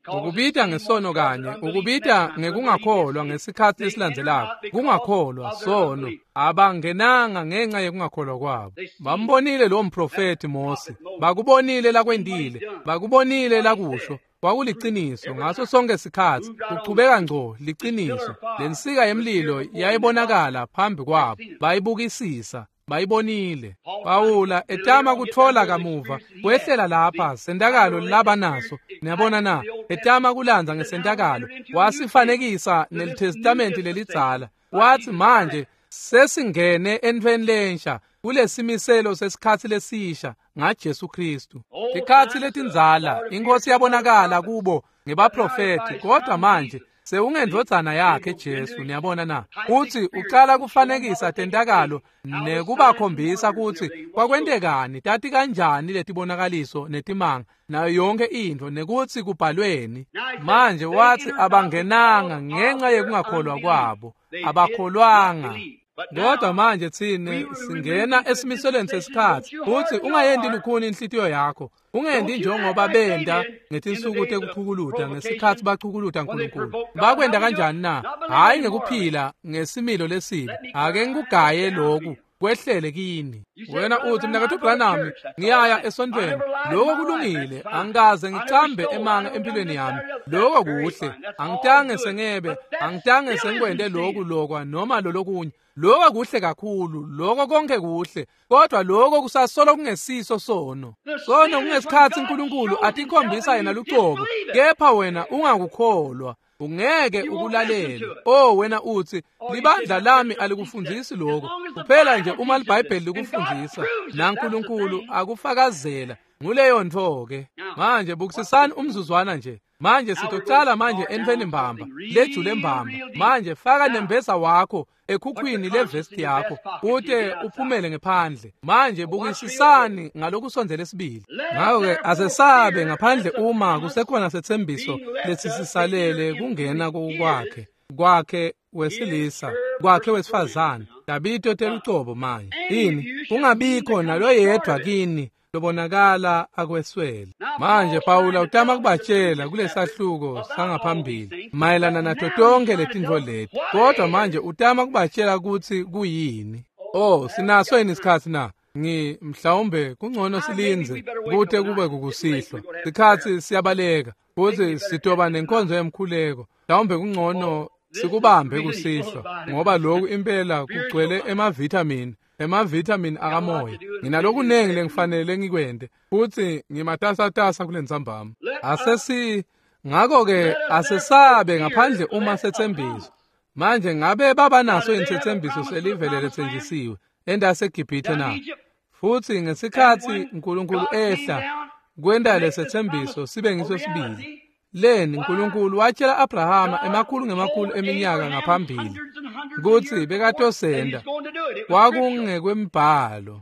Ukubita ngesono kanye, ukubita ngekungakholwa ngesikhatsi lesilandzelako. Kungakholwa sono, abangenanga ngenxa yekungakholwa kwabo. Bambonile lo mprofeti Mose, bakubonile lakwendile, bakubonile lakusho. Kwakuliciniso ngaso sonke sikhatsi, kuchubeka ngco liciniso. Lensika yemlilo yayibonakala phambi kwabo, bayibukisisa, bayibonile. Pawula etama kutfola kamuva kwehlela lapha sentakalo labanaso. Niyabona na? Etama kulandza ngesentakalo, wasifanekisa nelitestamenti lelidzala. Wathi manje sesingene entfweni lensha kulesimiselo sesikhatsi lesisha ngaJesu Kristu. Tikhatsi letindzala inkosi yabonakala kubo ngebaprofeti, kodwa manje sewungendvodzana yakhe Jesu. Niyabona na? Uthi ucala kufanekisa tentakalo nekubakhombisa kutsi kwakwentekani, tati kanjani letibonakaliso netimanga nayo yonke intfo nekutsi kubhalweni. Manje wathi abangenanga ngenxa yekungakholwa kwabo, abakholwanga. Kodwa manje tsine singena esimiselweni sesikhatsi. Uthi ungayendi lukhuni inhlitiyo yakho, ungendi njengoba benda ngetinsuku tekuchukuluta ngesikhatsi bachukuluta Nkulunkulu. Bakwenda kanjani na? Hhayi ngekuphila ngesimilo lesibi. Ake ngikugaye loku kwehlele kini. Wena uthi mnaketfu Branham, ngiyaya esontweni. Lokho kulungile, angikaze ngicambe emanga empilweni yami. Lokho kuhle, angitange sengebe, angitange sengikwente lokhu lokwa noma lolokunye. Lokho kuhle kakhulu, lokho konke kuhle, kodwa lokho kusasolo kungesiso sono. Sono kungesikhatsi uNkulunkulu atikhombisa yena lucobo, kepha wena ungakukholwa. Ungeke ukulalele. Oh wena uthi libandla lami alikufundisi lokho. Kuphela nje uma liBhayibheli likufundisa naNkulunkulu akufakazela, nguleyo ntfo ke. Manje bukisisani umzuzwana nje. Manje sitocala manje entfweni mbamba, lejule mbamba. Manje faka nembeza wakho ekhukhwini levesti yakho ute uphumele ngephandle. Manje bukisisani ngalokusondzela esibili. Ngako-ke asesabe ngaphandle uma kusekhona setsembiso lesisisalele kungena kwakhe, kwakhe wesilisa, kwakhe wesifazane. Tabito telucobo manje. Ini kungabikho naloyedwa kini lobonakala akweswele. Manje Pawula utama kubatshela kulesahluko sangaphambili mayelana nato tonke letintfo leti, kodwa manje utama kubatshela kutsi kuyini. Oh, sinaso yini isikhatsi na? Mhlawumbe kungcono silindze kute kube kukusihlwa. Sikhatsi siyabaleka futsi sitoba nenkonzo yemkhuleko. Mhlawumbe kungcono sikubambe kusihlwa, ngoba lokhu impela kugcwele emavithamini, emavithamini akamoya. Nginalokunengi lengifanele ngikwente futsi ngimatasatasa kulentsambama. Ngakho-ke asesabe ngaphandle uma setsembiso. Manje ngabe baba naso insetsembiso selivele letsenjisiwe endaseGibhithe na? Futsi ngesikhatsi uNkulunkulu ehla kwenta lesetsembiso sibe ngiso sibili. Leni uNkulunkulu watshela Abrahama emakhulu ngemakhulu eminyaka ngaphambili kutsi bekatosenda. Kwakungekwembhalo.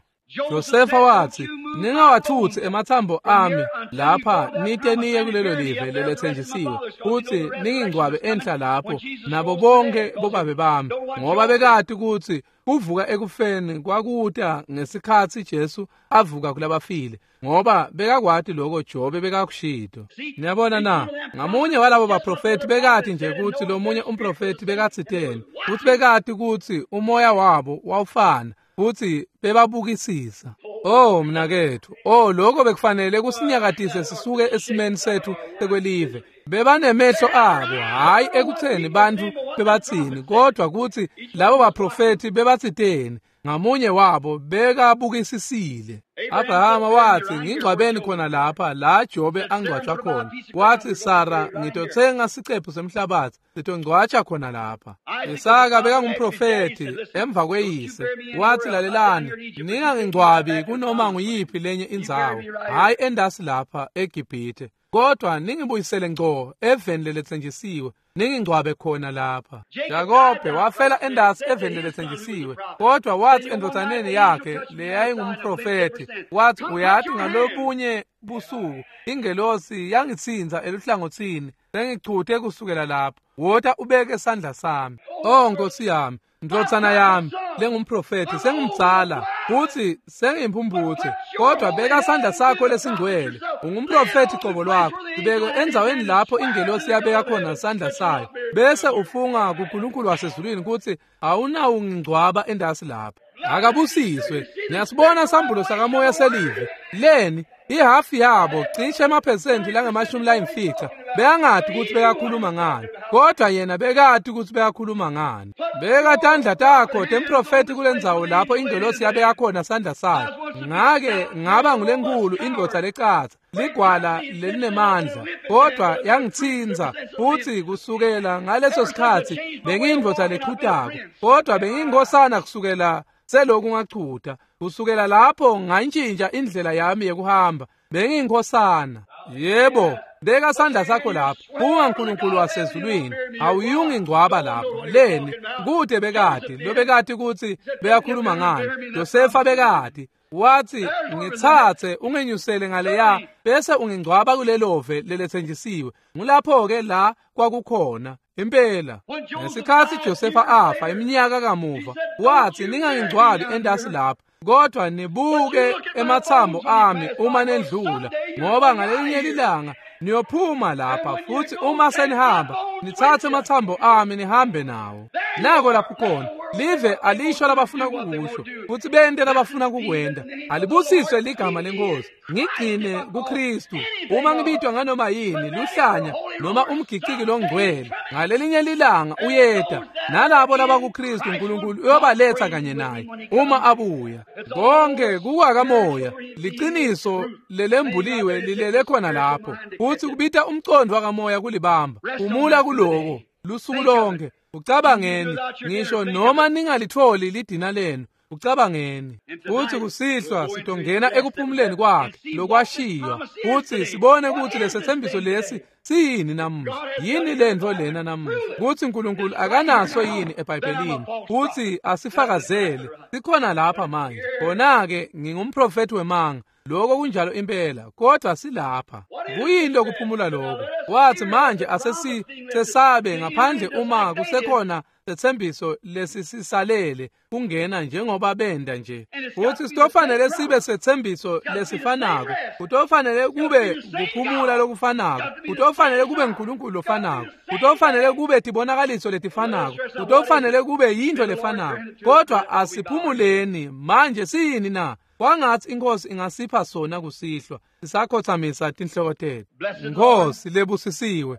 Josefa wathi, ningawathutsi emathambo ami lapha nite niye kulelo live lelethenjisiwe, futhi ningingcwabe enhla lapho nabo bonke bobabe bami, ngoba bekati kutsi kuvuka ekufeni kwakuta ngesikhatsi Jesu avuka kulabafile, ngoba bekakwati lokho Jobe bekakushito. Niyabona na, ngamunye walabo baprofethi bekati nje kutsi lomunye umprofethi bekatsiteni, futsi bekati kutsi umoya wabo wawufana, futhi bebabukisisa. Oh mnakethu, oh lokho bekufanele kusinyakatise sisuke esimeni sethu sekwelive. Bebanemehlo abo, hayi ekutheni bantfu bebatsini, kodwa kutsi labo baprofethi bebatsiteni. Ngamunye wabo bekabukisisile. Abrahama wathi, ngingcwabeni khona lapha la Jobe angcwatshwa khona. Wathi, Sara, ngitothenga sicephu semhlabathi, sitongcwatsha khona lapha. Isaka bekangumprofethi emva kweyise. Wathi, lalelani, ningangingcwabi kunoma nguyiphi lenye indzawo, hayi endasi lapha eGibhithe, kodwa ningibuyisele ngco eveni leletsenjisiwe, ningingcwabe khona lapha. Jakobe wafela endasi eveni leletsenjisiwe, kodwa wathi endvodzaneni yakhe leyayingumprofethi, wathi, uyathi ngalobunye busuku ingelosi yangitsinza eluhlangothini, sengichuthe kusukela lapho, wota ubeke sandla sami. Oh Nkosi yami, ndvodzana yami lengumprofethi, sengimdzala futhi sengiyimphumphutse, kodwa beka sandla sakho lesingcwele. Ungumprofethi cobo lwakho, sibeke endzaweni lapho ingelosi yabeka khona sandla sayo, bese ufunga kuNkulunkulu wasezulwini kutsi awunawungingcwaba endasi lapho. Akabusiswe. Ngiyasibona sambulo sakamoya selive leni. Ihafu yabo cishe emaphesenti langama-50 bekangati kutsi bekakhuluma ngani, kodwa yena bekati kutsi bekakhuluma ngani. Beka tandla takho temprofethi kulendzawo lapho ingelosi yabeka khona sandla sayo. Ngake ngaba ngulenkulu indvodza lecatsa, ligwala lelinemandla, kodwa yangitsinza, futhi kusukela ngaleso sikhatsi bengiyindvodza lechutako, kodwa bengiyinkosana kusukela seloku ngachuta. Kusukela lapho ngantshintsha indlela yami yekuhamba, bengiyinkosana. Yebo, beka sandla sakho lapho, bunga nkulunkulu wasezulwini, awuyungingcwaba lapho. Leni kude bekati lobekati kutsi beyakhuluma ngani. Josefa bekati, wathi, ngitsatse ungenyusele ngaleya bese ungingcwaba kulelove leletsenjisiwe. Ngulapho-ke la kwakukhona impela. Ngesikhatsi Josefa afa iminyaka kamuva, wathi, ningangingcwabi endasi lapha, kodwa nibuke emathambo ami uma nendlula, ngoba ngalelinye ilanga niyophuma lapha, futhi uma senihamba nithathe amathambo ami nihambe nawo. Nako lapho khona live alisho labafuna kukusho, futhi bente labafuna kukwenda. Alibusiswe ligama lenkosi. Ngigcine kuKristu. Uma ngibitwa nganoma yini, luhlanya noma umgiciki longcwele, ngalelinye lilanga uyeda, nalabo labakuKristu uNkulunkulu uyobaletha kanye naye uma abuya. Konke kukwakamoya, liqiniso lelembuliwe lilele khona lapho, futhi kubita umcondo wakamoya kulibamba. Umula kuloko lusuku lonke. Ucabangeni, ngisho noma ningalitholi lidina lenu, ucabangeni. Futhi kusihlwa sitongena ekuphumuleni kwakhe lokwashiywa, futhi sibone ukuthi lesethembiso lesi siyini namuhla. Yini lento lena namuhla? Kuthi uNkulunkulu akanaso yini eBhayibhelini, futhi asifakazele sikhona lapha manje. Khona-ke ngingumprofethi wemanga, lokho kunjalo impela, kodwa silapha. Kuyini lokuphumula lokho? Wathi, manje asesisesabe ngaphandle uma kusekhona sethembiso lesisisalele kungena njengoba benda nje. Futhi sitofanele sibe sethembiso lesifanako, kutofanele kube kuphumula lokufanako, kutofanele kube uNkulunkulu lofanako, kutofanele kube tibonakaliso letifanako, kutofanele kube yinto lefanako. Kodwa asiphumuleni manje. Siyini na? Kwangathi inkosi ingasipha sona kusihlwa. Sisakhothamisa tinhloko tethu. Nkosi lebusisiwe,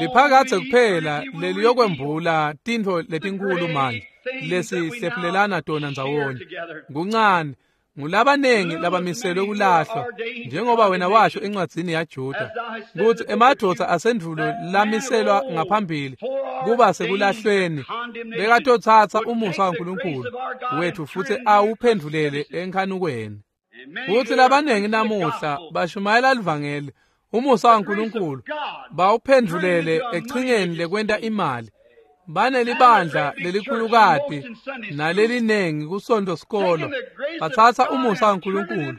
liphakathe kuphela leliyokwembula tintfo letinkulu manje lesihlephulelana tona ndzawonye. Kuncane ngulabanengi labamiselwe kulahlwa, njengoba wena washo encwadzini yaJuda kutsi emadvodza asendvulo lamiselwa ngaphambili kuba sekulahlweni bekatotsatsa umusa waNkulunkulu wethu futhi awuphendvulele enkhanukweni. Futhi labanengi namuhla bashumayela livangeli umusa waNkulunkulu bawuphendvulele echingeni lekwenta imali, Banelibandla lelikhulukati nalelinengi kusonto sikolo, batsatsa umusa waNkulunkulu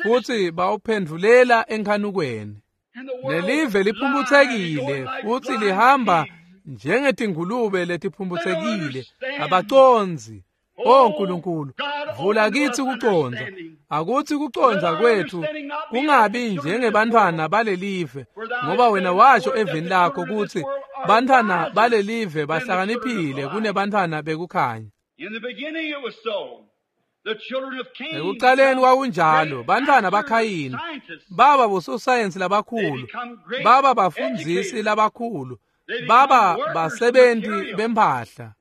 futsi bawuphendvulela enkhanukweni. Nelive liphumphutsekile futsi lihamba njengetingulube letiphumphutsekile, abacondzi. O Nkulunkulu, vula kitsi kucondza. Akutsi kucondza kwethu kungabi njengebantfwana balelive, ngoba wena washo eveni lakho kutsi bantfwana balelive bahlakaniphile kunebantfwana bekukhanya. Ekucaleni kwakunjalo, bantfwana baKhayini baba bososayensi labakhulu, baba bafundzisi labakhulu, baba basebenti bemphahla.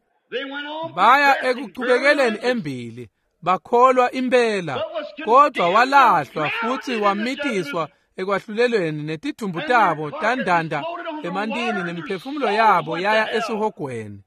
Baya ekuchubekeleni embili, bakholwa impela, kodwa walahlwa futsi wamitiswa ekwahlulelweni, netidumbu tabo tandanda emantini nemiphefumulo yabo yaya esihogweni.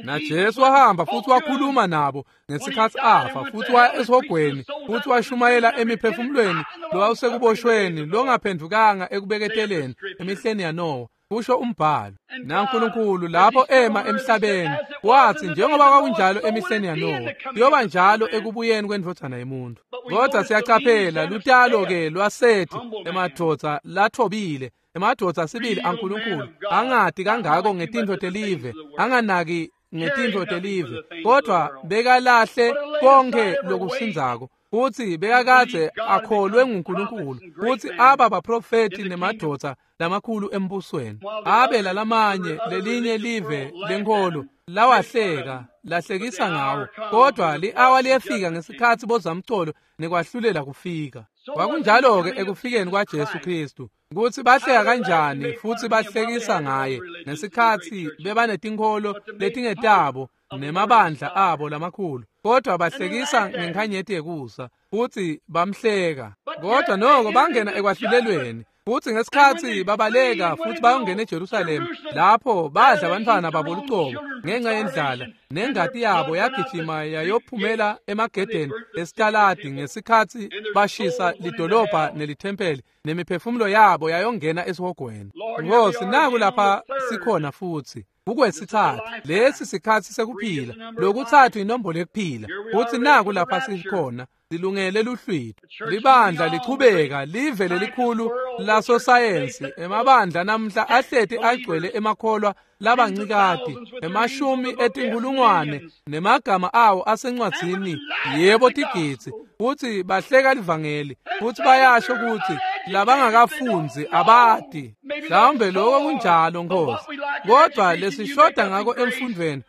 NaJesu wahamba futsi wakhuluma nabo ngesikhatsi afa, futsi waya esihogweni futsi washumayela emiphefumulweni lowawusekuboshweni longaphendvukanga ekubeketeleni emihleni yaNowa, kusho umbhalo. NaNkulunkulu lapho ema emhlabeni wathi, njengoba kwakunjalo emihleni yaNowa, kuyoba njalo ekubuyeni kwendvodzana yemuntu. Kodwa siyacaphela lutalo-ke lwaSethi, emadvodza lathobile, emadvodza sibili aNkulunkulu, angati kangako ngetintfo telive, anganaki ngetintfo telive, kodwa bekalahle konke lokusindzako, futsi bekakadze akholwe nguNkulunkulu, futsi aba baprofeti nemadvodza lamakhulu embusweni. Abe lalamanye lelinye live lenkholo lawahleka, lahlekisa ngawo, kodwa li-awa liyefika ngesikhatsi bozamcolo nekwahlulela kufika. Kwakunjalo-ke ekufikeni kwaJesu Khristu, kutsi bahleka kanjani futsi bahlekisa ngaye ngesikhatsi bebanetinkholo letingetabo nemabandla abo lamakhulu, kodwa bahlekisa ngenkhanyeti yekusa futsi bamhleka. Kodwa noko bangena ekwahlulelweni, futsi ngesikhatsi babaleka futsi bayongena eJerusalema, lapho badla bantfwana babo lucobo ngenxa yendlala, nengati yabo yagijima yayophumela emagedeni esitaladi ngesikhatsi bashisa lidolobha nelithempeli, nemiphefumulo yabo yayongena esihogweni. Nkosi, naku lapha sikhona futsi kukwesithathu, lesi sikhatsi sekuphila, lokutsatfu inombolo yekuphila, futsi naku lapha sikhona silungele luhlwitho. Libandla lichubeka live lelikhulu lasosayensi, emabandla namhla ahleti agcwele emakholwa labancikati, emashumi etinkhulungwane nemagama awo asencwadzini, yebo tigidzi, futsi bahleka livangeli, futsi bayasho kutsi labangakafundzi abati. Mhlawumbe lokho kunjalo, Nkosi, kodwa lesishoda ngako emfundvweni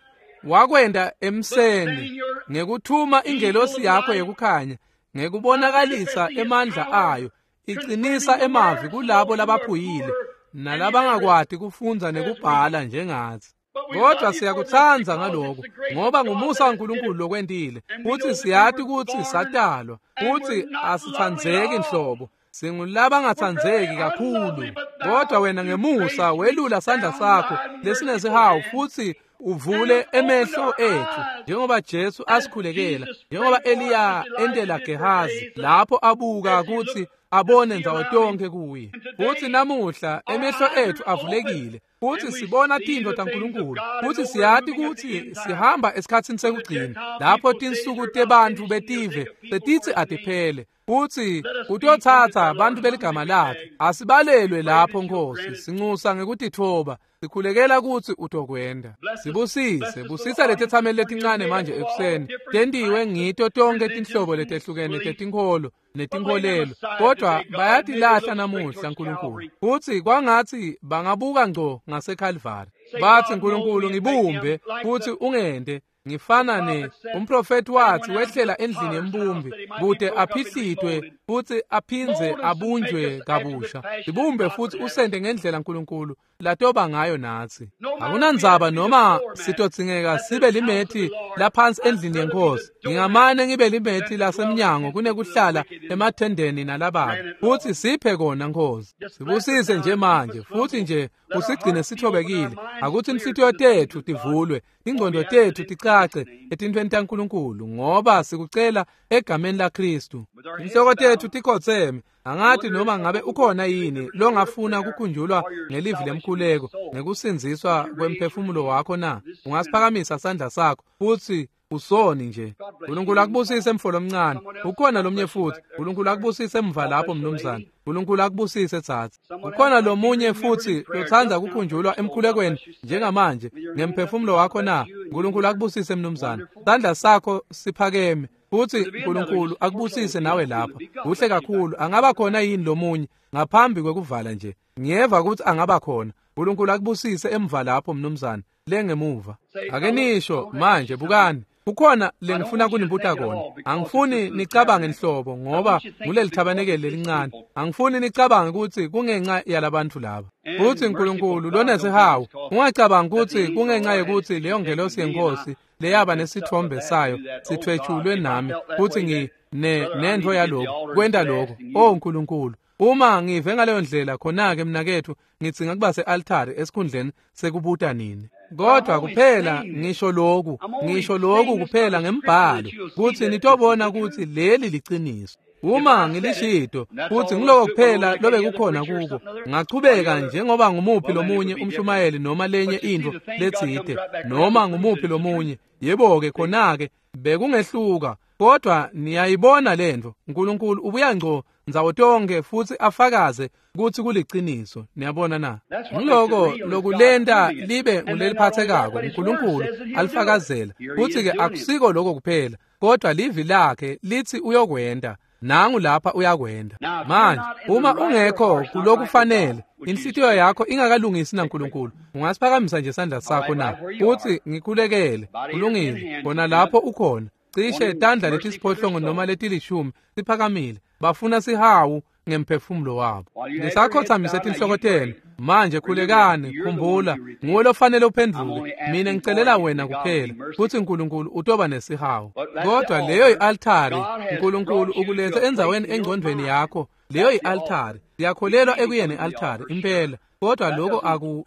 wakwenda emseni ngekuthuma ingelosi yakho yekukhanya, ngekubonakalisa emandla ayo, icinisa emavi kulabo labaphuyile nalabangakwati kufundza nekubhala njengatsi. Kodwa siyakutsandza ngaloko, ngoba ngumusa waNkulunkulu lokwentile, futsi siyati kutsi satalwa, futsi asitsandzeki nhlobo, singulabangatsandzeki kakhulu. Kodwa wena ngemusa welula sandla sakho lesinesihawu futsi uvule emehlo ethu, njengoba Jesu asikhulekela, njengoba Eliya entela Gehazi lapho abuka kutsi abone ndzawo tonkhe kuye. Futsi namuhla emehlo ethu avulekile, futsi sibona tintfo taNkulunkulu, futsi siyati kutsi sihamba esikhatsini sekugcina, lapho tinsuku tebantfu betive setitsi atiphele, futsi kutotsatsa bantfu beligama lakhe. Asibalelwe lapho, Nkosi, sincusa ngekutitfoba, sikhulekela kutsi utokwenda. Sibusise, busisa letetsameli letincane manje ekuseni, tentiwe ngito tonkhe tinhlobo letehlukene tetinkholo netinkholelo, kodwa bayatilahla namuhla, Nkulunkulu, futsi kwangatsi bangabuka ngco ngaseKhalvari, batsi, Nkulunkulu, ngibumbe futsi ungente ngifana ne umprofeti wathi wehlela endlini yembumbi kute aphihlitwe futsi aphindze abunjwe kabusha. Sibumbe futsi usente ngendlela Nkulunkulu latoba ngayo natsi. Akunandzaba noma sitodzingeka sibe limethi laphansi endlini yenkosi, ngingamane ngibe limethi lasemnyango kunekuhlala emathendeni nalababi. Futsi siphe kona, Nkosi. Sibusise nje manje, futsi nje usigcine sithobekile. Akuthi inhlitiyo tetfu tivulwe, ingqondo tetfu ticace etintfweni taNkulunkulu, ngoba sikucela egameni laKhristu. Inhloko tetfu tikhotseme. Angati noma ngabe ukhona yini longafuna kukhunjulwa ngelivi lemkhuleko ngekusindziswa kwemphefumulo wakho na? Ungasiphakamisa sandla sakho futhi usoni nje. Nkulunkulu akubusise mfo lomncane. Ukhona lomnye futhi. Nkulunkulu akubusise emva lapho mnumzane. Nkulunkulu akubusise tsatsi. Ukhona lomunye futhi lotsandza kukhunjulwa emkhulekweni njengamanje ngemphefumulo wakho na? Nkulunkulu akubusise mnumzane. Sandla sakho siphakeme. Futhi Nkulunkulu akubusise nawe lapha. Kuhle kakhulu. Angaba khona yini lomunye ngaphambi kwekuvala nje? Ngiyeva ukuthi angaba khona. Nkulunkulu akubusise emva lapho mnumzane. Lengemuva. Ake nisho manje bukani. Kukhona lengifuna kunibuta kona. Angifuni nicabange nhlobo ngoba nguleli thabanekele lelincane. Angifuni nicabange ukuthi kungenxa yalabantu laba. Futhi Nkulunkulu lonesihawu, ungacabangi ukuthi kungenxa yokuthi leyo ngelosi yenkosi leyaba nesithombe sayo sithwetshulwe nami futhi ngi nento yalokho kwenta lokho. Oh Nkulunkulu, uma ngive ngaleyo ndlela khona-ke mnakethu ngithi ngakuba se-altari esikhundleni sekubuta nini. Kodwa kuphela ngisho lokhu kuphela ngembhalo kuthi nitobona ukuthi leli liciniso. Uma ngilishito futhi ngiloko kuphela lobe kukhona kuko, ngachubeka njengoba ngumuphi lomunye umshumayeli noma lenye into letsite noma ngumuphi lomunye, yebo-ke khona-ke bekungehluka. Kodwa niyayibona lento, Nkulunkulu ubuya ngco ndzawo tonke futhi afakaze ukuthi kuliciniso. Niyabona na? Ngiloko lokulenta libe nguleliphathekako uNkulunkulu alifakazela. Futhi-ke akusiko lokho kuphela, kodwa livi lakhe lithi uyokwenda. Nangu lapha uyakwenda. Manje uma ungekho kulokufanele, inhlitiyo yakho ingakalungisi naNkulunkulu, ungasiphakamisa nje isandla sakho na? Uthi ngikhulekele. Kulungile, khona lapho ukhona. Cishe tandla letisiphohlongo noma letilishumi siphakamile. Bafuna sihawu ngemphefumulo wabo. Nisakhothamise tinhloko tenu manje, khulekani. Khumbula, nguwe lofanele uphendvuke. Mina ngicelela wena kuphela futhi uNkulunkulu utoba nesihawu. Kodwa leyo i-altari uNkulunkulu ukulethe endzaweni engcondweni yakho. Leyo i-altari, siyakholelwa ekuyeni i-altari impela, kodwa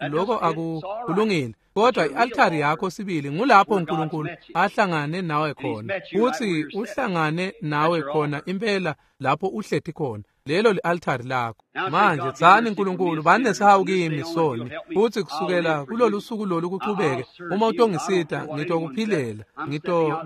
lokho kulungile. Kodwa i-altari yakho sibili ngulapho uNkulunkulu ahlangane nawe khona, futhi uhlangane nawe khona impela lapho uhleti khona. Lelo li-altari lakho. Manje tsani, Nkulunkulu bani nesihawu kimi soni, futhi kusukela kulolu suku lolu kuchubeke, uma utongisita ngitokuphilela,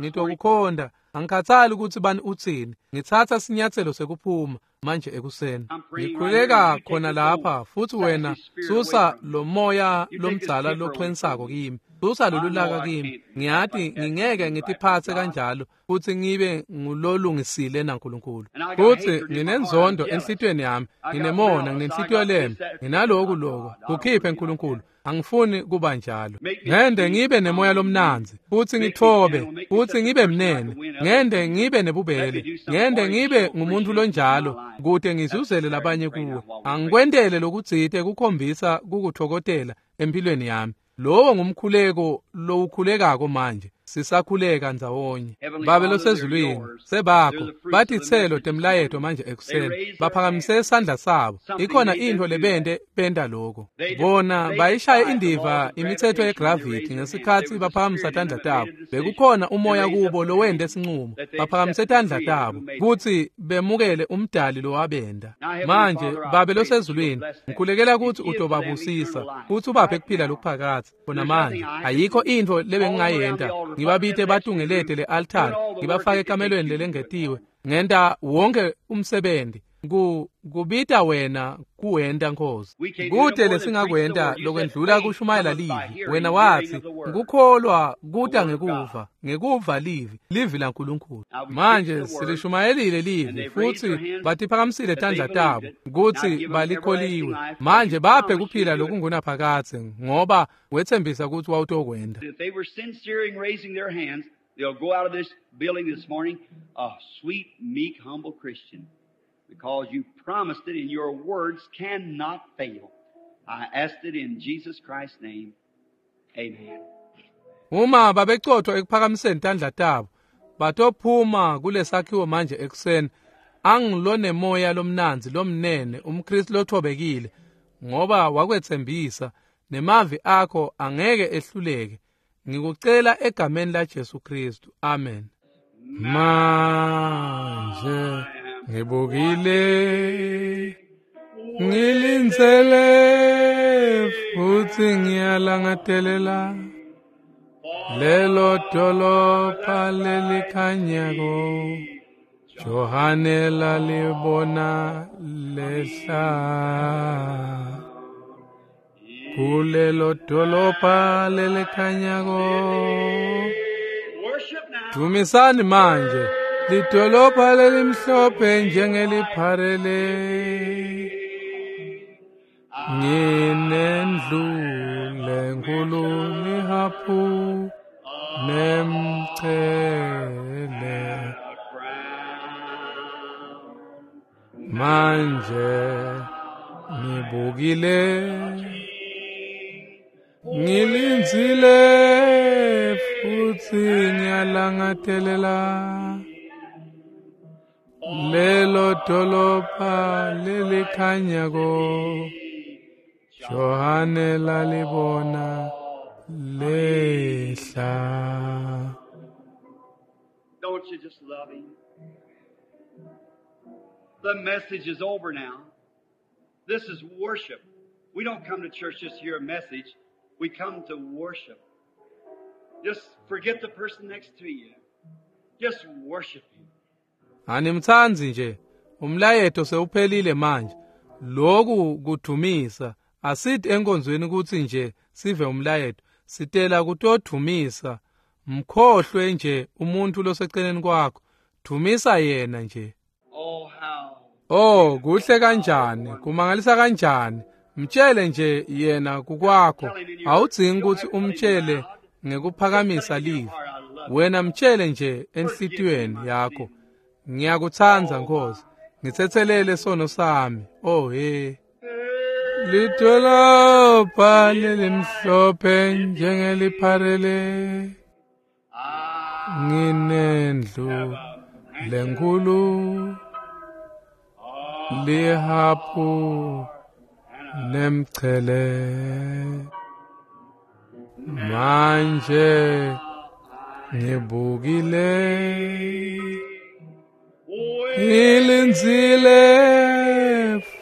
ngitokukhonda. Angikhathali ukuthi bani uthini, ngithatha sinyathelo sekuphuma manje ekuseni. Ngikhuleka khona lapha futhi wena susa lo moya lomdzala lochwensako kimi, susa lolu laka kimi. Ngiyati ngingeke ngitiphathe kanjalo futhi ngibe ngulolungisile naNkulunkulu. Futhi nginenzondo enhlitiyweni yami, nginemona, nginenhlitiyo lemi, nginaloku loko. Kukhiphe Nkulunkulu, angifuni kuba njalo. Ngende ngibe nemoya lomnanzi futhi ngithobe futhi ngibe mnene. Ngende ngibe nebubele. Ngende ngibe ngumuntu lonjalo kude ngizuzele labanye kuwe. Angikwentele lokutsite kukhombisa kukuthokotela empilweni yami. Lowo ngumkhuleko lowukhulekako manje. Sisakhuleka ndzawonye. Babe losezulwini, sebakho batitselo temlayeto manje ekuseni. Baphakamise isandla sabo. Ikhona into lebente benta lokho. Bona bayishaye indiva imithetho yegravity ngesikhathi baphakamisa tandla tabo. Bekukhona umoya kubo lowende sinqumo. Baphakamise tandla tabo kuthi bemukele umdali lowabenda. Manje Babe losezulwini, ngikhulekela ukuthi utobabusisa futhi ubaphe kuphila lokuphakatha. Khona manje ayikho into lebengingayenta. Ngibabite batungelete le-altari, ngibafake ekamelweni lelengetiwe, ngenta wonke umsebenzi kubita wena kuwenta Nkosi. Kude lesingakwenta lokwendlula kushumayela livi. Wena wathi ngukholwa kuta ngekuva, ngekuva livi, livi laNkulunkulu. Manje silishumayelile livi futhi batiphakamisile tandla tabo kuthi balikholiwe. Manje baphe kuphila lokungunaphakadze ngoba wethembisa ukuthi wawutokwenda. They'll go out of this building this morning a sweet, meek, humble Christian, because you promised it and your words cannot fail. I asked it in Jesus Christ's name. Amen. Uma babecotho ekuphakamiseni tandla tabo, batophuma kulesakhiwo manje ekuseni, angilonemoya lomnanzi lomnene, umKristu lothobekile, ngoba wakwethembisa nemavi akho angeke ehluleke. Ngikucela egameni la Jesu Kristu. Amen. Manje Ngibukile, ngilindzele futsi ngiyalangatelela lelo dolopha lelikhanyako Johane lalibona lehla. Kulelo dolopha lelikhanyako. Dumisani manje lidolopha lelimhlophe njengelipharele. Nginendlu lenkulu lihaphu nemchele. Manje ngibukile, ngilindzile futsi ngiyalangatelela lelo dolopha lelikhanyako Johane lalibona lehla. Don't you just love him? The message is over now. This is worship. We don't come to church just to hear a message. We come to worship. Just forget the person next to you. Just worship him. Animtsandzi nje. Umlayeto sewuphelile manje. Lokhu kudumisa. Asithi enkonzweni kutsi nje sive umlayeto. Sitela kutodumisa. Mkhohlwe nje umuntu loseceleni kwakho. Dumisa yena nje. Oh, kuhle kanjani, kumangalisa kanjani. Mtshele nje yena kukwakho. Awudzingi ukuthi umtshele ngekuphakamisa livi. Wena mtshele nje enhlitiyweni yakho. Ngiyakutsandza Nkosi. Ngitsetselele sono sami. Oh he. Lidolopha lelimhlophe njengelipharele. Nginendlu lenkulu lihaphu nemchele. Manje ngibukile, ngilindzile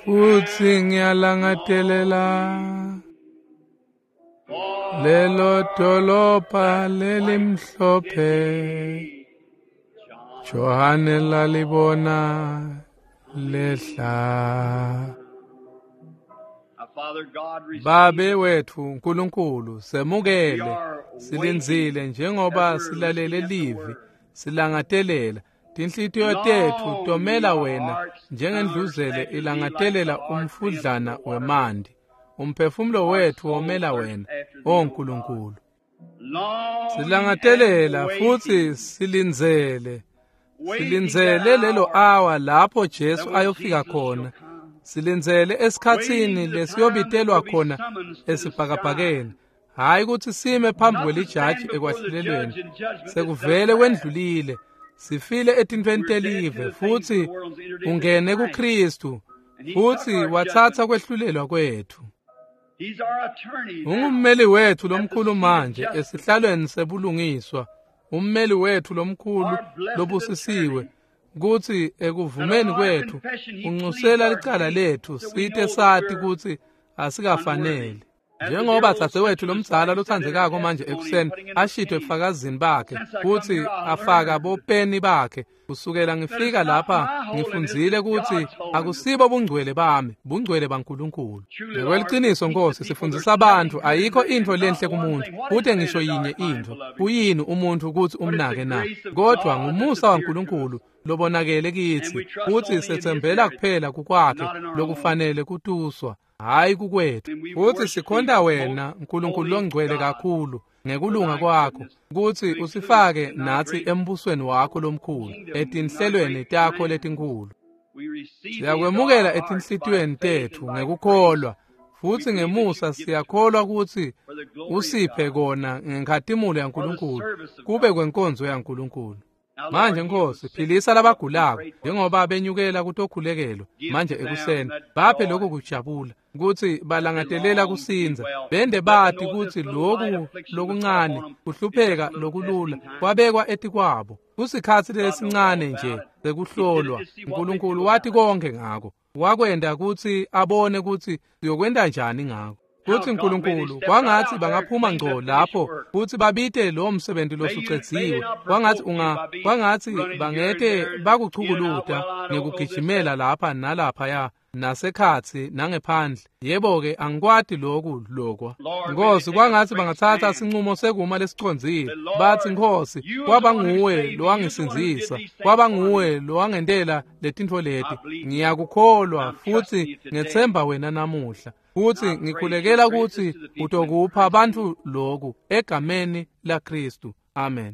futsi ngiyalangatelela lelo dolopha lelimhlophe Johane lalibona lehla. Babe wethu Nkulunkulu, semukele silindzile njengoba silalele livi, silangatelela tinhlitiyo tetfu tomela wena njengendluzele ilangatelela umfudlana wemanti. Umphefumulo wetfu womela wena, O Nkulunkulu. Silangatelela futsi silindzele. Silindzele lelo hour lapho Jesu ayofika khona. Silindzele esikhatsini lesiyobitelwa khona esibhakabhakeni. Hayi ukuthi sime phambi kwelijaji ekwahlulelweni. Sekuvele kwendlulile. Sifile etintfweni telive futsi ungene kuKristu futsi watsatsa kwehlulelwa kwethu. Ungummeli wethu lomkhulu manje esihlalweni sebulungiswa. Ummeli wethu lomkhulu lobusisiwe kutsi ekuvumeni kwethu unxusela licala lethu site sati kutsi asikafanele. Njengoba dzadzewethu lomdzala lotsandzekako manje ekuseni ashitwe ebufakazini bakhe kutsi afaka bopeni bakhe. Kusukela ngifika lapha ngifundzile kutsi akusibo bungcwele bami, bungcwele baNkulunkulu. Ngekweliciniso Nkosi, sifundzisa abantu ayikho intfo lenhle kumuntu, kute ngisho yinye intfo. Kuyini umuntu kutsi umnake na? Kodwa ngumusa waNkulunkulu lobonakele kitsi kutsi setsembela kuphela kukwakhe lokufanele kutuswa, hayi kukwethu. Futsi sikhonta wena Nkulunkulu longcwele kakhulu ngekulunga kwakho kutsi usifake natsi embusweni wakho lomkhulu etinhlelweni takho letinkhulu. Siyakwemukela etinhlitiyweni tetfu ngekukholwa futsi ngemusa siyakholwa kutsi usiphe kona ngenkhatimulo yaNkulunkulu kube kwenkonzo yaNkulunkulu. Manje Nkosi, philisa labagulako njengoba benyukela kutokhulekelwa manje ekuseni. Baphe lokhu kujabula kutsi balangatelela kusindza, bende bati kutsi lokhu lokuncane kuhlupheka lokulula kwabekwa etikwabo. Kusikhatsi lesincane nje sekuhlolwa. Nkulunkulu wati konke ngako. Wakwenta kutsi abone kutsi siyokwenta njani ngako. Kutsi Nkulunkulu kwangatsi bangaphuma ngco lapho kutsi babite lowo msebenzi losucedziwe. Kwangatsi kwangatsi bangete bakuchukuluta ngekugijimela lapha nalaphaya nasekhatsi nangephandle. Yebo-ke, angikwati loku lokwa. Nkhosi, kwangatsi bangatsatsa sincumo sekuma lesicondzile. Batsi, Nkhosi, kwaba nguwe lowangisindzisa, kwaba nguwe lowangentela letintfo leti. Ngiyakukholwa futsi ngetsemba wena namuhla. Futsi ngikhulekela kutsi utokupha bantfu loku egameni laKhristu. Amen.